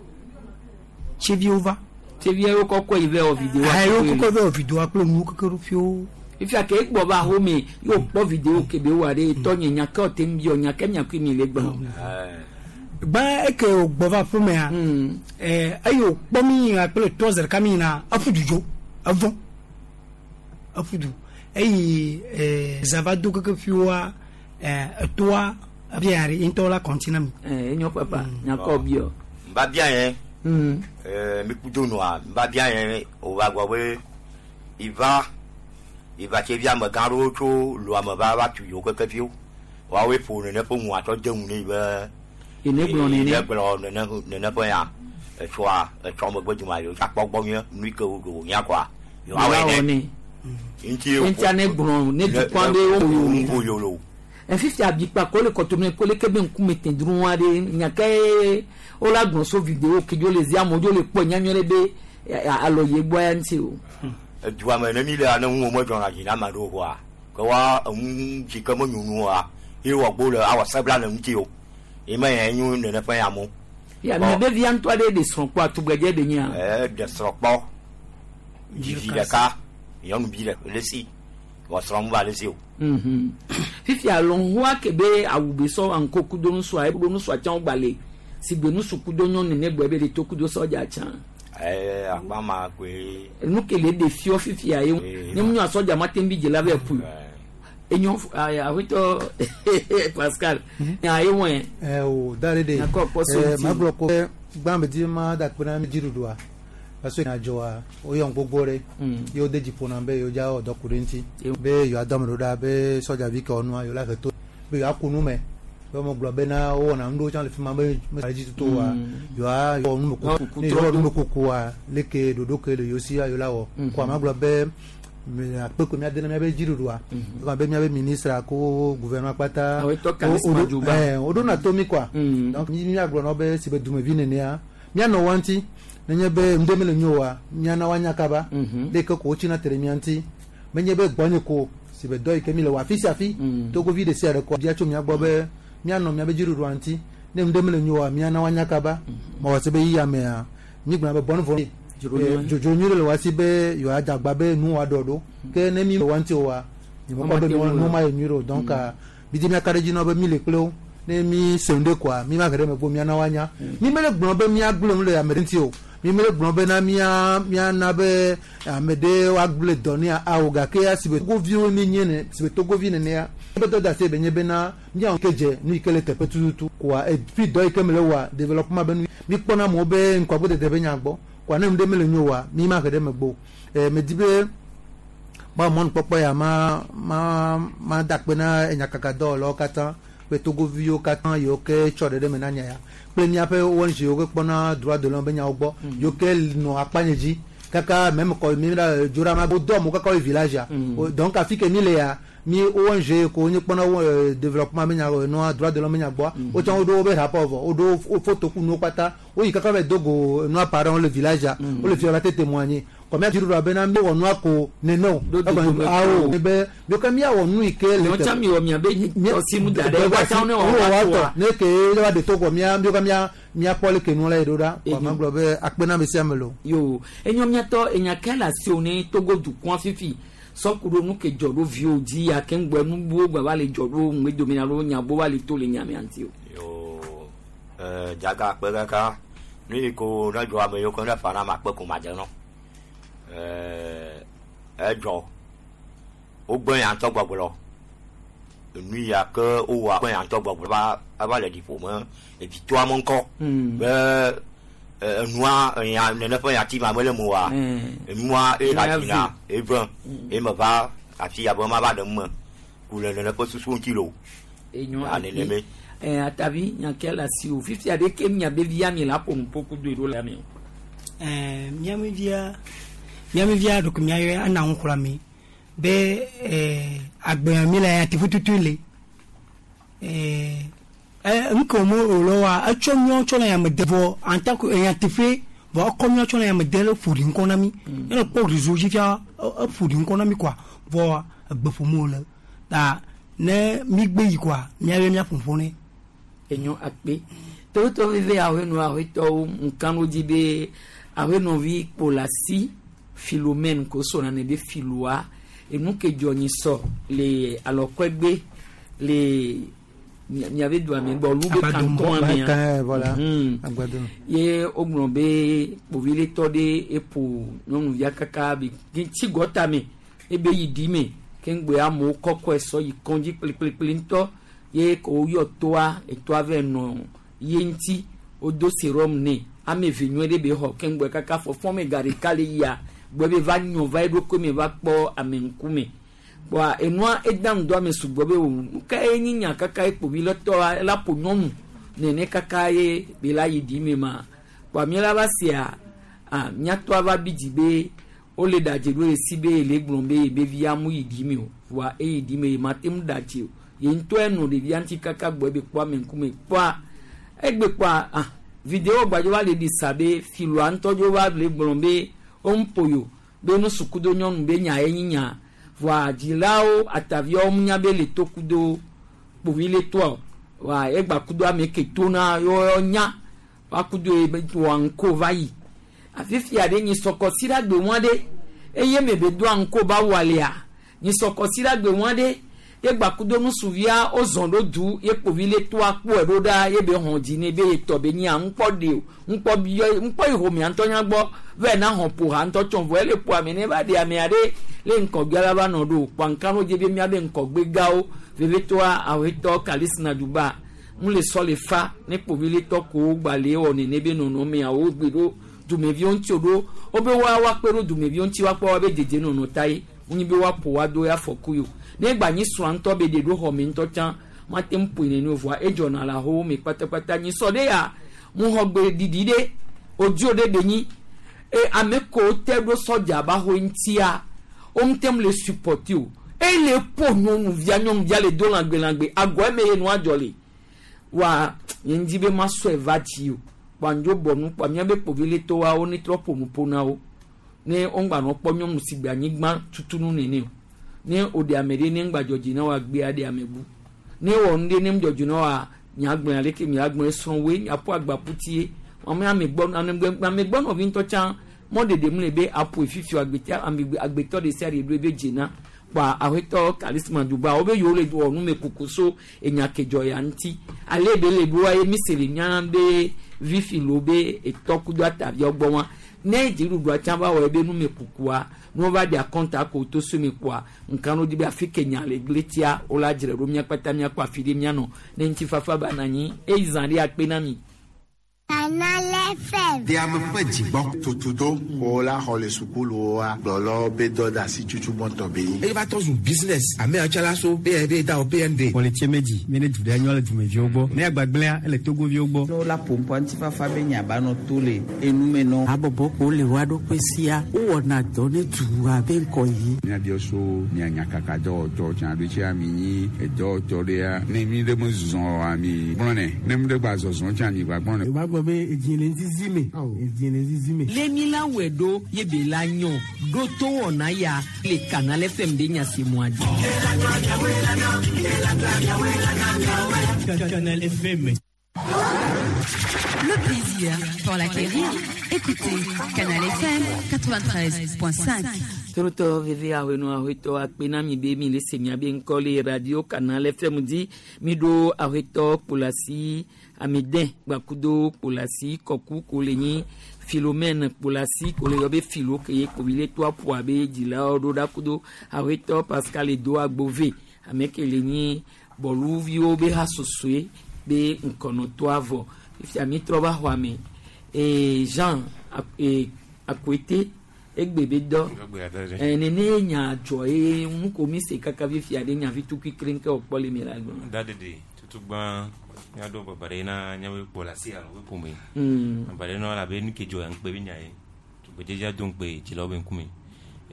wova. Tsivie wo kɔkɔe yi vɛ wɔ vidéoa. Ayi wo kɔkɔe vɛ wɔ vidéoa kple nuwo keke ɖo fiwo. Ifia ke egbɔ va home yóò kpɔ vidéo ke be wɔ ɖe tɔnye nya ke ɔte ŋu biɔ nya ke nya kui mi le gblɔ. Gbã eke wògbɔ va aƒemea eye wòkpɔ mi yina kple tɔ zi ɖeka mi yina eƒu du dzo evɔ eƒu du eye zã va do keke fiwoa etoa ebia ɖe ŋutɔ la kɔntina mi. Enyo papa nyakɔ biɔ. Nba bia yẹn mi kudo nua nba bia yẹn o va gbɔ be iva iva tse vi amegã ɖewo tso lu ame va va tu yewo keke fiwo woawoe ƒo nene ƒe ŋu atsɔ de ŋu ne yi be. Ene gblɔ nene. Ene gblɔ nene nene ƒe ya etsɔa etsɔ megbe duma yewo tsa kpɔ gbɔ nyuie nu yi ke wo nya kɔa yewoawɔe ne. Ŋuti ŋutia ne gblɔ ne dukɔ ɖe wo yolo. Fifia abikpa ko le kɔtome ko le ke be ŋkume te dru wa ɖe nya ke wo la gblɔ so vidéo ke dzo le zi amewo dzo le kpɔ nya nyuie ɖe be alɔ ye gbɔ ya ŋuti o. Edua me ne mi le ane ŋu me dzɔna dzi na ame aɖewo koa ke wa enu dzi ke me nyonua ye wɔ gbo le awɔ sebla le ŋuti o ye me ya nyo nene ƒe ya mo. Ya mi be via ŋutɔ aɖe ɖe srɔ̃ kpɔ atugbedze ɖe nyia. Ɖe srɔ̃ kpɔ vi ɖeka nyɔnuvi ɖe le si wɔ srɔ̃ mu va le si o. Fifia lɔnhua ke be awu be sɔ aŋko kudo nusua ekudo nusua tsã gbalẽ si gbe nusu kudo nyɔnu ne gbɔ be ɖe to kudo sɔdza tsã. Akpa ma koe. Nu ke le ɖe fiɔ fifia ye ne mu nyɔ sɔdza ma te bi dze la vɛ ku. Enyo awetɔ Pascal. Nya ye wɔe. O da ɖe de. Nyakɔ kpɔ so Ma gblɔ ko gbã be di ma da kpe na mi dziɖuɖua. Parce que adzɔa woyɔ gbogbo ɖe ye wode dzi ƒo na be yewo dza wɔ dɔ ku ɖe ŋuti be yewoa dɔ ame ɖo ɖa be sɔdzavi ke wɔnua yewo la he to be yewoa ku nu me be wɔme gblɔ bena wowɔna nu ɖewo tsã le fi ma be me dzi tutu wa yewoa wɔ numekuku ne yewoa wɔ numekukua leke ɖoɖo ke le yewo si yewo la wɔ ko ama gblɔ be akpe ko míade na míabe dziɖuɖua ekɔ be míabe ministre ko gouvernement kpata woɖona to mí kɔa donc míagblɔ na wo be si be dumevi nenea míanɔ wa ŋuti nenye be ŋdɔ mele nyo wa míana woanya kaba ɖe ke ko wotsina te ɖe mía ŋuti menye be gbɔnye ko si be dɔ yi ke mi le wɔ afi sia afi togovi ɖe sia ɖe kɔ bia tso mía gbɔ be míanɔ míabe dziɖuɖua ŋuti ne ŋdɔ mele nyo wa míana woanya kaba mawɔ se be yiyia mea mígblɔna be bɔnu vɔ dzodzo nyui ɖe le wa si be yewoa dagba be nu wa ɖɔ ɖo ke ne mi le wa ŋuti o wa nyemekpɔ be nu ma ye nyui ɖe o donc mi di míaka ɖe dzi na wo be mi le kple wo ne mi se nu ɖe koa mi ma ge ɖe megbe míana woanya mi mele gblɔ be míagblẽ nu le ame ɖe ŋuti o mi mele gblɔ bena míana be ame ɖe woagblẽ dɔ ne awo gake si be togoviwo mi nye ne si be togovi nenea be dɔ da se be nye bena míawo ke dze nu yi ke le teƒe tututu koa efi dɔ yi ke mele wɔa développement be nu mi kpɔna amewo be ŋkuagbodede be nya gbɔ koa ne nu ɖe mele nyo wa mi ma he ɖe megbe o medi be ma mɔnukpɔkpɔ ya ma ma ma da akpe na enyakakadɔwɔlawo katã kple togoviwo katã yiwo ke tsɔ ɖe ɖe me na nya ya kple míaƒe ONG yiwo ke kpɔna droit de l'homme be nyawo gbɔ yiwo ke nɔ akpanye dzi kaka même kɔ mi la dzora ma wodɔ amewo kaka wo yi village ya donc afi ke mi le ya mi ONG ko nye kpɔna développement be nya nua droit de l'homme be nya gbɔa wotsã woɖo wobe rapport vɔ woɖo wo photo ku nuwo kpata woyi kaka va do go nua parents le village ya wole fi la te témoigner kɔmi adziɖuɖua bena mi wɔ nua ko nene o awo be mi ke miawɔ nu yi ke le tɛ mi wɔ miabe tɔsimu da ɖe woatsã ne wɔ wa tɔ ne ke wa de to kɔ mia mi ke mia miakpɔ le ke nu la yi ɖo ɖa kɔ ma gblɔ be akpe na ame sia ame lo. Yo enyo miatɔ enya ke le asi wo ne Togo dukɔa fifi sɔkuɖo nu ke dzɔ ɖo viwo dzi ya ke ŋgbɔ nubuwo gba va le dzɔ ɖo ŋgbe alo nyagbo va le to le nyamea ŋuti o. Yo dzaga akpe kaka nu yi ko ne dzɔ ame yiwo ke ne fa na ame akpe ko ma dze nɔ. Edzɔ wogbe nya ŋutɔ gbɔgblɔ enu ya ke wowɔ kpe ya ŋutɔ gbɔgblɔ va ava le ɖiƒo me evitoa me ŋkɔ be enua enya nene ƒe nyati ma mele mo wa enua eye dzina eve eye me va afi ya be ma va ɖe me ku le nene ƒe susu ŋuti lo. Enyo Ya neneme. Atavi nyake le asi o fifia ɖe ke miabe via mi la ƒo nuƒo kudo ɖo le ame o. Miame via ɖeko miayɔ ana ŋu xlɔ mi be agbea mi le atiƒu tutu le nke mo o wa etsɔ miɔ tsɔ le yame de vɔ en tant que atiƒe vɔ ekɔ miɔ tsɔ le yame de le ƒo ɖi ŋkɔ na mi ne kpɔ réseau dzi fia eƒo ɖi ŋkɔ na mi quoi vɔ egbe ƒom wo le ta ne mi gbe yi quoi miayɔ miaƒo ƒo ne. Enyo akpe tewotɔ veve ahɔnɔ ahɔtɔwo nkanu dzi be ahɔnɔvi kpolasi Philomène ko sɔna ne be filoa enu ke dzɔ nyi sɔ le alɔkɔegbe le miabe doa me gbɔ lu be kantɔn amea voilà. Ye wogblɔ be kpoviletɔ ɖe eƒo nyɔnuvia kaka be tsi gɔta me ebe yi ɖi me keŋgbe amewo kɔkɔe sɔ yi kɔndzi kplikplikpli ŋutɔ ye ko woyɔ toa etoa vɛ nɔ ye ŋuti wodo serum nɛ ame eve nyuie ɖe be xɔ keŋgbe kaka fɔfɔ me ga ɖeka le yia gbɔ be va nyɔ va eɖokui me va kpɔ ame ŋkume kpɔa enua eda ŋdɔ ame sugbɔ be o nuka ye nyi nya kaka ye kpovi le tɔa la ƒo nyɔnu nene kaka ye be la yi ɖi me ma kpɔa mi la va sia a miatɔa va bi dzi be wole ɖadze ɖo esi be ele gblɔ be ye be via mu yi ɖi me o voa eyi ɖi me ye ma te ŋu ɖadze o ye ŋutɔ enɔ ɖevia ŋuti kaka gbɔ ebe kpɔ ame ŋkume kpɔa egbe kpɔa ah video gbadzo va le ɖi sa be filoa ŋutɔ dzo va le gblɔ be woŋƒo yo be nusukudo nyɔnu be nya ye nyi nya voa dzilawo ataviawo nya be le tokudo kpovi le toa wa egba kudo ame ke tona yɔ nya wa kudo ye wa ŋko va yi afifia ɖe nyi sɔkɔsi ɖe agbe ŋua ɖe eye me be doa ŋko ba wɔlia nyi sɔkɔsi ɖe agbe ŋua ɖe ye gba kudo nusuvia wozɔn ɖo du ye kpovi le toa kpɔe ɖo ɖa ye be hɔn dzi ne be ye tɔ be nyia ŋkpɔ ɖe o ŋkpɔ biɔ ŋkpɔ yi homea ŋutɔ nya gbɔ vɛ na hɔn ƒo ha ŋutɔ tsɔ vɔ ele ƒo ame ne va ɖe amea ɖe le ŋkɔgbea la va nɔ ɖo kpɔ ŋka no dze be miabe ŋkɔgbe gawo vevetoa awetɔ kalisina duba ŋu le sɔ le fa ne kpovi le tɔ ko gba le wɔ nene be nɔnɔmeawo gbe ɖo dumeviwo ŋuti o ɖo wobe wa woakpe ɖo dumeviwo ŋuti woakpɔ woabe dedienɔnɔ ta ye wonyi be woaƒo woado ya afɔku yi o ne gba nyi srɔ̃a ŋutɔ be ɖe ɖo xɔ me ŋutɔ tsã mate ŋu ƒoe nene o vɔa edzɔna le ahowo me kpatakpata nyi sɔ ɖe ya ŋuxɔgbe ɖiɖi ɖe odzo ɖe be nyi e ame ko te ɖo sɔdza ba xɔ ŋutia woŋute ŋu le supporti o ele ƒo nyɔnuvia nyɔnuvia le do lãgbe agɔ eme ye nua dzɔ le wa nye ŋdi be masɔe va dzi o kpɔ andzo bɔ nu kpɔ miabe kpovi le towawo ne trɔ ƒo nu ƒo na wo ne woŋgba nɔ kpɔ nyɔnu si gbe anyigba tutunu nene o ne woɖe ame ɖe ne ŋgba dzɔdzi na woa gbea ɖe ame bu ne wɔ nu ɖe ne ŋdzɔdzi na woa miagblẽ aleke miagblẽ srɔ̃woe miaƒo agbaƒutie ame amegbɔ nɔvi ŋutɔ tsã mɔɖeɖe mu le be aƒoe fifi agbetɔ agbetɔ ɖe sia ɖe ɖo ebe dzena kpɔa aƒetɔ kalisma duba wobe yewo le wɔ numekuku so enya ke dzɔ ya ŋuti ale be le ɖoa ye mi se le nya be vifi lo be etɔ kudo ataviawo gbɔ wa ne dziɖuɖua tsã va wɔ ebe numekukua ne wova ɖe akɔnta ko to so mi kpɔa nka no di be afi ke nya le gletia wola dzre ɖo mía kpata míakpɔ afi ɖe míanɔ ne ŋutifafa ba na anyi eyi zã ɖe akpe na mi. Canal FM. De ame ƒe dzigbɔ. Tutudo ko la xɔ le sukuluwoa gblɔlɔ be dɔ da asi tutu gbɔntɔ be yi. Eye va tɔ zu business ame yawo la so be da o PND. Pɔlitsie medzi mi ne du ɖe nyɔ le dumeviwo gbɔ ne agbagblẽa ele togoviwo gbɔ. Ne wola ƒoƒo ŋutifafa be nya ba nɔ to le enume nɔ. Habɔbɔ ko le wa ɖokui sia wowɔna dɔ ne dua be ŋkɔ yi. Míabiɔ so mia nyakaka dɔwɔtɔ tsã ɖo tsia mi nyi edɔwɔtɔ ɖea ne mi ɖe me zɔ ami gblɔ nɛ ne mi ɖe gba zɔzɔ tsã mi gba gblɔ nɛ. Gba be edzi le zizi me edzi le zizi me. Lemi la wɛ ɖo ye be la nyɔ ɖo to wɔna ya le Canal FM de nyasemua dzi. Canal FM. Le plaisir pour l'acquérir. Écoutez Canal FM 93.5. Torotɔ veve ahɔnɔ ahɔetɔ akpe na mi be mi le se miabe ŋkɔ le radio Canal FM dzi mi ɖo ahɔetɔ kpolasi ameden gbakudo kpolasi kɔku ko le nyi Philomène kpolasi ko le yɔ be philo ke ye kpovi le to aƒo abe dzilawo ɖo ɖa kudo ahɔetɔ Pascal Edo Agbove ame ke le nyi Bɔluviwo be hasosoe be ŋkɔnɔtɔa vɔ fifia mi trɔ va xɔa me ee Jean ee Akoete egbe be dɔ nene nya dzɔ ye nu ko mi se kaka fifia ɖe nya vi tukui kre nke wòkpɔ le mi la gblɔ. Da dede tutugba miaɖo baba ɖe na míaƒe kpɔ le asi alo ƒe ƒome. Baba ɖe na elabe nu ke dzɔ ya ŋukpe be nya ye. Tugbedzedzea do ŋukpe dzilawo be ŋkume.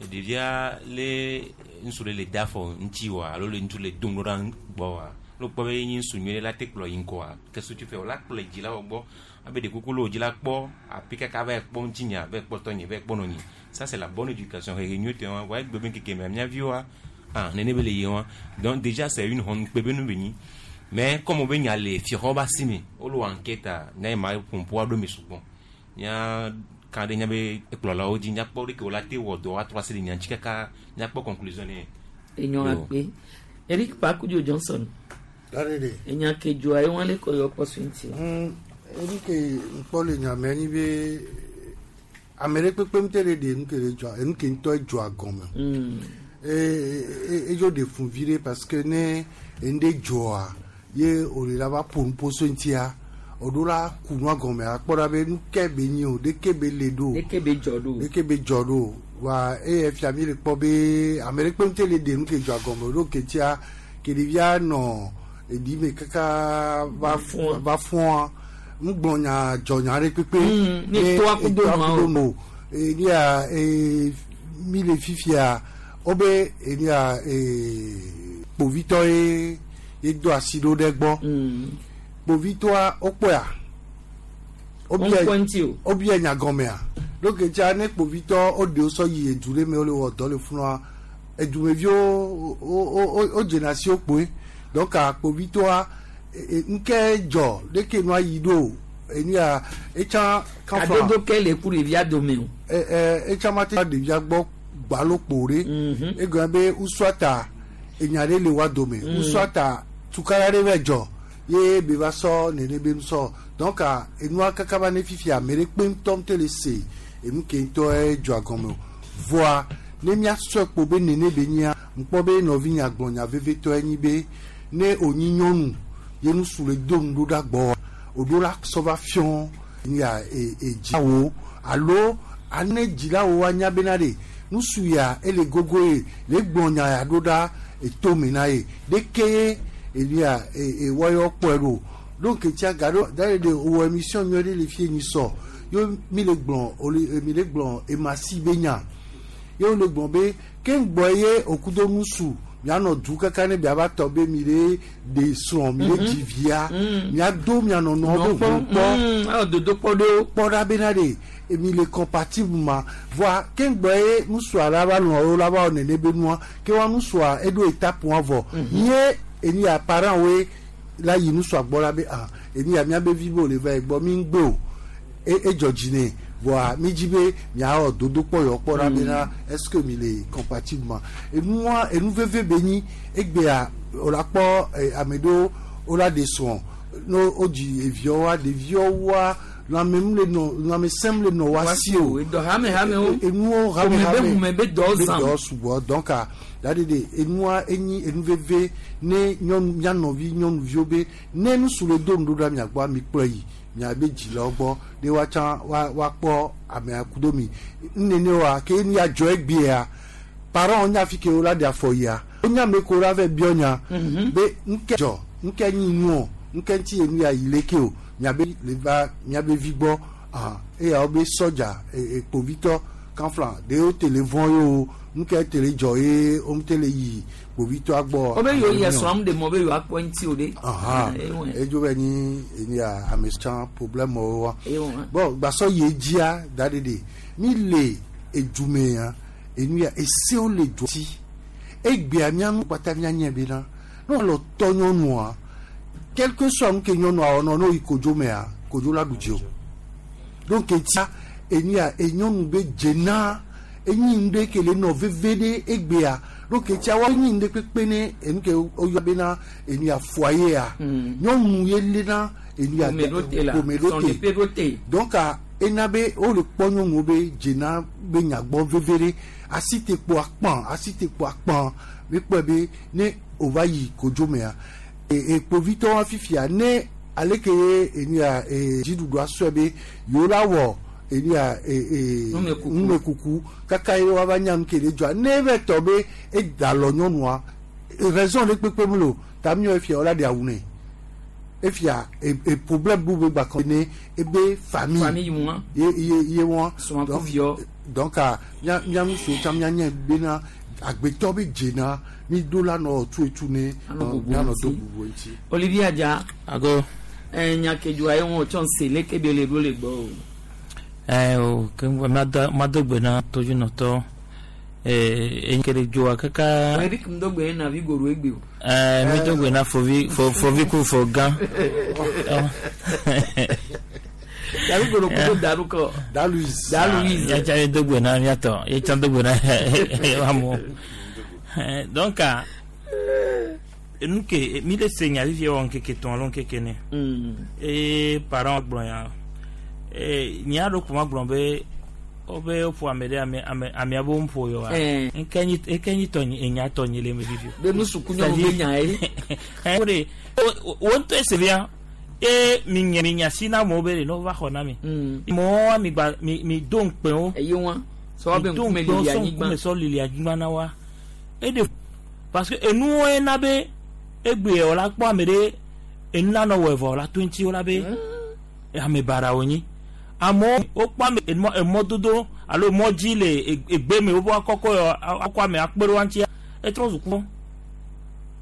Ɖevia le ŋutsu ɖe le da afɔ ŋuti wa alo le ŋutsu le dom ɖo ɖa gbɔ wa. Ne wokpɔ be enye ŋutsu nyuie ɖe la te kplɔ yi ŋgɔa ke sutu fɛ wòla kplɔe dzilawo gbɔ. Abe ɖe kuku le wò dzi la kpɔ afi kaka va yi kpɔ ŋutinya, va yi kpɔ tɔnye, va yi kpɔ nɔnye. Ça c'est la bonne éducation. Hehe nyuietɔe wa. Vɔa egbe be ŋkeke mea mía viwoa, ah nene be le yie wa. Donc déjà c'est une honte ŋukpe be nu be nyi. Mais comme wobe nya le fiaxɔ be asi me, wole wɔ enquête nya yi ma ƒoƒu aɖo eme sugbɔ. Mía ka ɖe míabe ekplɔlawo dzi, míakpɔ ɖeke wola te wɔ dɔ atrɔ asi le nya ŋuti kaka míakpɔ conclusion nɛ. Enyɔ akpe. Eric Pakudzo Johnson. Enya ke dzɔa ye wɔn le kɔ yɔ kpɔ so ŋuti. Enu ke ŋkpɔ le nya me nyi be ame ɖe kpekpe ŋutɔ ɖe ɖe nu ke le dzɔa enu ke ŋutɔ dzɔa gɔme. Edzo ɖe fun vi ɖe parce que ne enu ɖe dzɔa ye wòle la va ƒo nuƒo so ŋutia òɖo la ku nua gɔme akpɔ ɖa be nu ke be nyi o ɖeke be le ɖo. Ɖeke be dzɔ ɖo. Ɖeke be dzɔ ɖo wa eye fia mi le kpɔ be ame ɖe kpe ŋutɔ le ɖe nu ke dzɔa gɔme o ɖo ke tia ke ɖevia nɔ eɖi me kaka va fua ŋgblɔ nya dzɔ nya ɖe kpekpe. Ne toa kudo nua o. Enia mi le fifia wobe enia kpovitɔ ye ye do asi ɖo ɖe gbɔ. Kpovitɔa wokpɔa. Wobia nya gɔmea. Donc tia ne kpovitɔ woɖe wo sɔ yi edu ɖe me wole wɔ dɔ le funua edumeviwo wo dzena asi wo kpoe. Donc kpovitɔa ŋke dzɔ ɖeke nua yi ɖo enia etsã kanfra. Adodo ke le ku ɖevia dome o. Etsã ma te ɖevia gbɔ gbalo kpo ɖe. Egɔme be usuata enya ɖe le wa dome. Usuata tukara ɖe va dzɔ ye be va sɔ nene be nusɔ. Donc enua kaka va ne fifia ame ɖe kpe ŋutɔ ŋutɔ le se enu ke ŋutɔ dzɔa gɔme o. Vɔa ne míasɔe kpo be nene be nyia ŋkpɔ be nɔvinya gblɔ nya vevitɔe nyi be ne wònyi nyɔnu ye nusu le do nu ɖo ɖa gbɔ òɖo la sɔ va fiɔ nya edzilawo alo ane dzilawo anya bena ɖe nusu ya ele gogo ye le gblɔ nya ya ɖo ɖa etome na ye ɖeke enia ewɔyɔ kpɔe ɖo. Donc tia gaɖo da ɖe wɔ émission nyuie ɖe le fie nyi sɔ yo mi le gblɔ mi le gblɔ emasi be nya ye wole gblɔ be ke ŋgbɔ ye okudo nusu mianɔ du kaka ne biava tɔ be mi le ɖe srɔ̃ mi le dzi via miado mianɔnɔ be ʋu kpɔ dodo kpɔ ɖo kpɔ ɖa bena ɖe mi le compatible ma voa ke ŋgbɔ ye nusua la va lɔ wo la va wɔ nene be nua ke wa nusua eɖo étape wa vɔ nye eni ya parent woe la yi nusua gbɔ la be ah eni ya miabe vi be wòle va yi gbɔ mi ŋgbe o edzɔ dzi nɛ voa mi dzi be miawɔ dodokpɔ yɔ kpɔ ɖa bena est-ce que mi le compatible ma enua enu veve be nyi egbea wòla kpɔ ame ɖewo wola ɖe srɔ̃ ne wodzi eviawoa ɖeviawoa lãmemu le nɔ lãmesẽm le nɔ wa si o edɔ hame hamewo enuwo hame hame be be dɔ zam be dɔ sugbɔ donc da de de enua enyi enu veve ne nyɔnu mia nɔvi nyɔnuviwo be ne nusu le do nuɖoɖa mia gbɔ mi kplɔ yi miabe dzilawo gbɔ ɖe woatsã woakpɔ amea kudo mi nene wa ke nu ya dzɔ egbea parents nya fi ke wo la ɖe afɔ yia wonya ame ko la va biɔ nya be ŋke dzɔ ŋke nyi nuɔ ŋke ŋuti enu ya yi leke o miabe le va miabe vi gbɔ ah eya wo be sɔdza kpovitɔ kanfla ɖe wo te le vɔn ye o ŋke te le dzɔ ye wo te le yi kpovitɔa gbɔ. Wo be yewo yi srɔ̃m ɖe mɔ be yewoakpɔ ŋuti o ɖe. Edzo be nyi enu ya ame tsã problème wo wa. Bon gbasɔ yi dzia da ɖe ɖe mi le edume ya enu ya esewo le du ti egbea mianu kpata mianye bena ne wòle tɔ nyɔnua quel que soit nu ke nyɔnua wɔnɔ ne woyi kodzo mea kodzo la ɖu dzi o. Donc etia enu ya enyɔnu be dzena enyi nu ɖe ke le nɔ veve ɖe egbea donc etia wa enyi nu ɖe kpekpe ne enu ke woyɔ bena enu ya foyer ya nyɔnu ye lena enu ya ƒome ɖo te donc ena be wole kpɔ nyɔnuwo be dzena be nyagbɔ veve ɖe asi te kpo akpã asi te kpo akpã mi kpɔe be ne wòva yi kodzo mea Ekpovitɔwo fifia ne aleke ye enu ya dziɖuɖua sɔe be yewo la wɔ enu ya numekuku kaka ye woava nya nu ke le dzɔa ne eve tɔ be eda lɔ nyɔnua raison ɖe kpekpe mu le o ta miɔ efia wola ɖe awu nɛ efia e problème bu be gba kɔ ne ebe famille Famille ŋua. Ye wɔn. Srɔ̃a ku viɔ. Donc mia ŋutsuwo tsã mianye bena agbetɔ be dzena mi do la nɔ tu etu ne Anɔ bubu mianɔ ŋuti. Do bubu ŋuti. Olivier Adja. Ago. Nya ke dzɔa ye ŋu tsɔ se leke be le ɖo le gbɔ o. O ke mado gbe na todzinɔtɔ enyi ke ɖe dzoa kaka. Eric Ndogbe na vi goro egbe o. Mi do gbe na fovi fovi ku fo gã. Davi goro kudo daru kɔ. Da Louise. Da Louise. Ya tsa do gbe na miatɔ ye tsa do gbe na amewo. Donc nu ke mi le se nya fifia wɔ ŋkeke tɔn alo ŋkeke ne. Eye parent gblɔ nya nya ɖo ko ma gblɔ be wobe woƒo ame ɖe ame ame amea be woƒo yɔ wa. Eke nyi eke nyi tɔ nyi enya tɔ nyi le me fifi. Be nusuku nyɔnu be nya ye. O de wo ŋutɔ ese fia ye mi nya mi nya si na amewo be ɖe ne wova xɔ na mi. Mɔwo mi gba mi do ŋukpe wo. Eye wa sɔ be Mi do ŋkume ŋukpe wo lili sɔ anyigba. ŋkume sɔ lili anyigba na wa. E de parce que enuwo ye na be egbe wò la kpɔ ame ɖe enu la nɔ wɔ evɔ la to ŋuti wo la be ame baɖa wonyi amewo wokpɔ ame emɔ emɔdodo alo mɔdzi le egbe me wobe akɔkɔ yɔ akɔ ame akpe ɖe wa ŋutia etrɔ zu kpɔ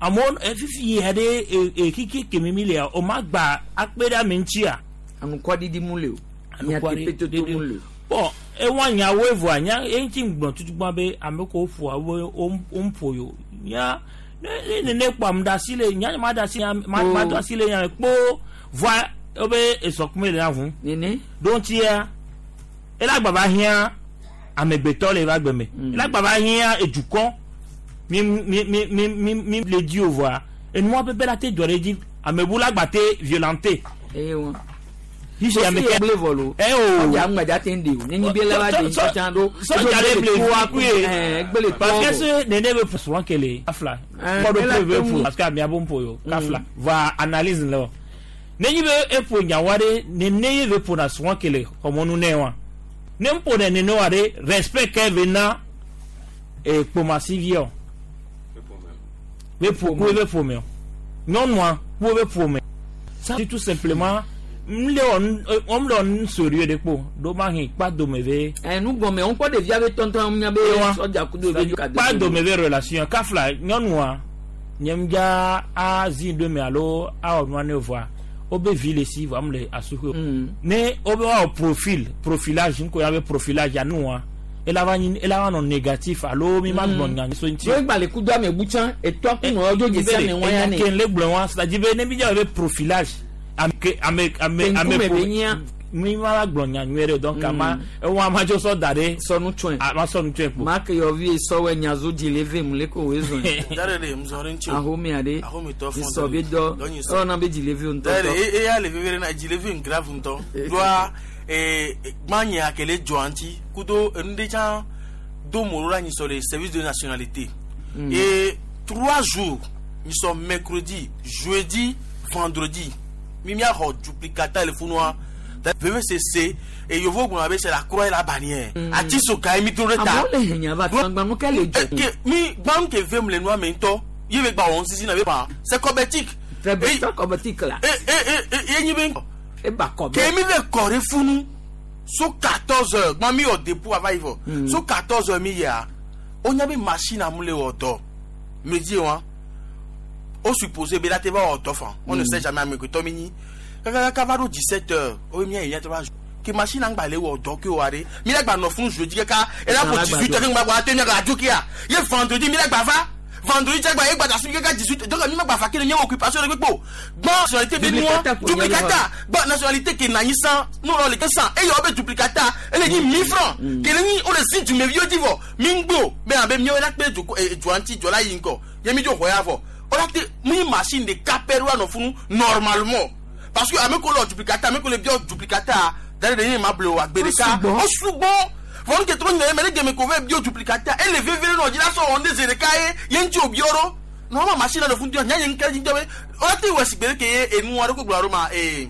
amewo fifi ya ɖe e kiki kemi mi lea o ma gba akpe ɖe ame ŋutia. Anukwaɖiɖi mu le o. Nyateƒetoto mu le o. Bɔn ewa nyawo evɔa nya eŋuti gblɔ tutugbã be ame ko ƒoa wo wo ƒo yo nya ne ne ne kpɔ ame ɖe asi le nya ma ɖe asi nya ma do asi le nya me kpo voa wobe esɔkume le na ʋu. Nene. Ɖo ŋutia ela gbava hiã amegbetɔ le eva gbe me ela gbava hiã edukɔ mi mi mi mi mi mi le dzi o voa enua pɛpɛ la te dzɔ ɖe dzi amebu la gba te violente. Eye wa. Fifi ame ke gble vɔ lo. Ɛ o. Ɔdza ŋgbadza te ń de o. Nenyi be la va de tsatsa ɖo. Sɔdza le ble toa fi kuye. Ɛɛ gbele toa Parce que vɔ. ce nene be souvent kele kafla. Kɔɖo ela pe be te ƒo ŋu. parce que amea be ƒo yo kafla. Va analyse le o. Nenyi be eƒo nyawa ɖe nene ye be ƒona souvent kele xɔmɔnu nɛ wa. Ne ƒo ne nene wa ɖe respect ke be na kpomasiviɔ. Be ƒo ku be ƒome o. Nyɔnua ku be ƒome. Ça c'est tout simplement n le wɔ n le wɔ nu sérieux ɖe kpo ɖo ma hɛn kpa dome ve. Ɛ nu gɔmɛ ŋkɔ ɖevia be tɔntɔn nya be sɔdza kudo be ka kpa dome ve relation kafla nyɔnua nye ŋdza azi ɖo me alo awɔ nua ne voa wobe vi le si voa mu le asuƒe. Ne wobe wɔwɔ profil profilage ŋkɔ ya be profilage anua ela va nyi ela va nɔ négatif alo mi ma gblɔ nya so ŋuti. Wo gba le kudo ame bu tsã etɔa ku nɔ dzo dzesi ame wɔn ya ne. Enya ke le gblɔ wa c'est à dire be ne mi dza be profilage ame ke ame ame ame Ŋkume be nyia. Mi ma la gblɔ nya nyuie ɖe o donc ama ewɔ ama dzo sɔ da ɖe. Sɔnu tsɔe. Ama sɔnu tsɔe kpo. Ma ke yɔvi sɔwɔ nyazo dzi le ve mu le ko woe zɔn. Dare le mzɔ ɖe ŋuti o. Ahome aɖe. Ahometɔ fɔn Sɔ be dɔ. Dɔ nyi sɔ. Ewɔna be dzi le ve ŋutɔ. Dare eya le veve ɖe na dzi le ve grave ŋutɔ. Ɖoa gbãnyia ke le dzɔa ŋuti kudo enu ɖe tsã do mo ɖo la nyisɔ le service de nationalité. Et 3 jours nyisɔ mercredi, jeudi, vendredi mi miaxɔ duplicata le funua vevesese et yovo gblɔna be c'est la croix et la bannière. Ati soka ye mi to ɖe ta. Amewo le henya va gbanu ke le dzɔ. Ke mi gbanu ke vem le nua me ŋutɔ ye be gba wɔn sisi na be ban c'est kɔbɛtik. Très bien, kɔbɛtik la. E ye nyi be. E ba kɔbɛ. Ke mi le kɔ ɖe funu so 14 heures gbɔn mi wɔ dépôt ava yi vɔ so 14 heures mi yia o nya be machine amu le wɔ dɔ medi wa o supposé be la te va wɔ dɔ fan on ne sait jamais amegbetɔ mi nyi kakaka va ɖo 17 heures o be mia yi mia te va ke machine angba le wɔ dɔ ke wa ɖe mi la gba nɔ funu jeudi kaka ela ko 18 heures ke ŋgba gba te mia gba dzo kia ye vendredi mi la gba va vendredi tse gba ye gba da si kaka 18 donc mi ma gba fa ke ne nye occupation ɖe kpekpe o gbɔn nationalité be nua duplicata gbɔn nationalité ke nanyi san n'o le ke san eye wo be duplicata ele nyi 1000 francs kele nyi o le si dumeviwo dzi vɔ mi ŋgbo be abe miawo la kpe du dua ŋuti dzɔ la yi ŋgɔ ye mi dzo xɔ ya vɔ o la te mi machine ɖeka pɛ ɖo anɔ funu normalement parce que ame ko le duplicata ame ko le biɔ duplicata da ɖe nye ma ble o agbe ɖeka o sugbɔ vɔ nu ke trɔ nyina ye mɛ ne gɛmɛ ko vɛ bio duplicata ele veve ɖe nɔ dzi la sɔ wɔn de zi ɖeka ye ye ŋuti o biɔ ɖo Normalement machine le fun nya nya nke dzi be o ti wɔ sigbe ke ye enu aɖe ko gblɔ ɖo ma ee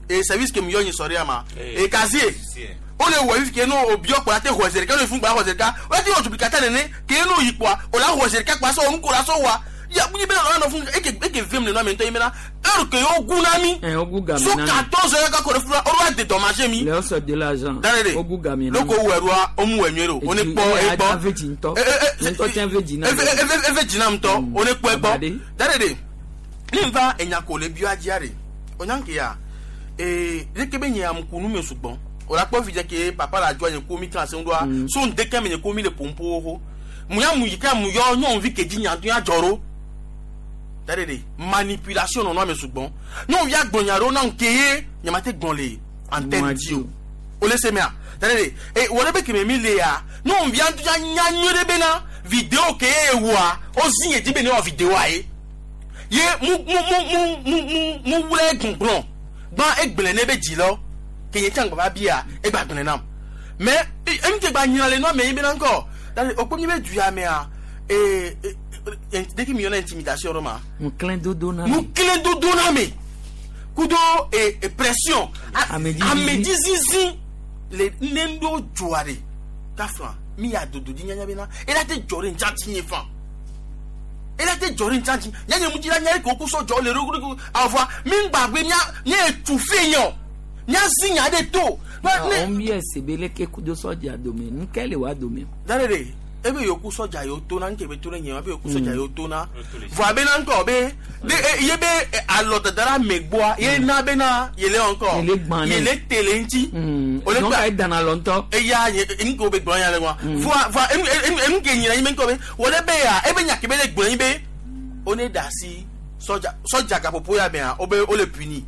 ee service ke mi yɔ nyi sɔrɔ ya ma ee casier o le wɔ fi ke no o biɔ kpɔ la te xɔ zi ɖeka no fun gba xɔ zi ɖeka o ti wɔ duplicata nene ke no yi kpɔa o la xɔ zi ɖeka kpɔa sɔ o nu ko la sɔ wa ya mi bena nɔ fun eke eke vem le nɔ ame ŋutɔ yi bena heure ke yewo gu na mi Eh, ogu game so na mi. 14 heures kakɔ ɖe funa o va dédommagé mi Le ɔsɔ de l'argent. Dare de. Ogu game na mi. loko wɔ ɛrua o mu wɔ nyuie o ne kpɔ e kpɔ Ave dzi ŋutɔ. Nye ŋutɔ tsɛ ave dzi na mi. eve dzina ŋutɔ o ne kpɔ ekpɔ dare de ne va enya ko le bia dzia de o nya ke ya ee leke be nye amukunu me sugbɔ o la kpɔ vi dze ke papa la dzɔ nye ko mi kan se ŋdoa so ŋdeke me nye ko mi le pompo ho mu ya mu yi ke mu yɔ nyɔnuvi ke dzi nya do ya dzɔ ɖo dare de manipulation nɔnɔ ame sugbɔ nyɔnuvi agblɔ ɖewo na ŋke ye nye ma te gblɔ le antenne dzi o o le se mea dare de e wɔ ɖe be keme mi le ya nyɔnuvia ŋutɔ ya nya nyuie ɖe bena video ke ye wɔa o zi nye dzi be ne wɔ videoa ye ye mu mu mu mu mu mu mu wlɛ gbɔngbɔn gbã egblẽ ne be dzi lɔ ke nye tsã gbava bia egba gblẽ nam mɛ enu ke gba nyina le nua me yi bena ŋkɔ dare o kpɔ mi be du ya mea ee ee ɖeke mi yɔna intimidation ɖo ma Ŋuklẽ dodo na mi. ŋuklẽ dodo na me kudo e e pression amedzizizi le ne ŋɖo dzoa ɖe kafla mi ya dodo dzi nyanya bena ela te dzɔ ɖe ŋtsatsi nye fan ela te dzɔ ɖe ŋtsatsi nyanya mu dzi la nya ke woku sɔ dzɔ le ɖokuɖoku avɔa mi ŋgbagbe mia mia etu fe nye o mia zi nya ɖe to Ɔn bi ese be leke kudo sɔdza dome. Nuka le wa dome? dare ɖe ebe yoku sɔdza yiwo tona nke be to ne nye ebe yoku sɔdza yiwo tona vɔa bena ŋkɔ be de e ye be e, alɔ dada ɖe amegbɔa ye na bena yele wɔ ŋkɔ Yele gbã nɛ. yele te le ŋuti O le Donc gba- ayi dana lɔ ŋutɔ. eya ye enu ke wo be gblɔ nya le wa vɔa vɔa enu enu enu ke nyina nyi be ŋkɔ be wòle be ya ebe nya ke be le gblɔ nyi be wo ne da asi sɔdza sɔdza gaƒoƒo ya mea wo be wo le puni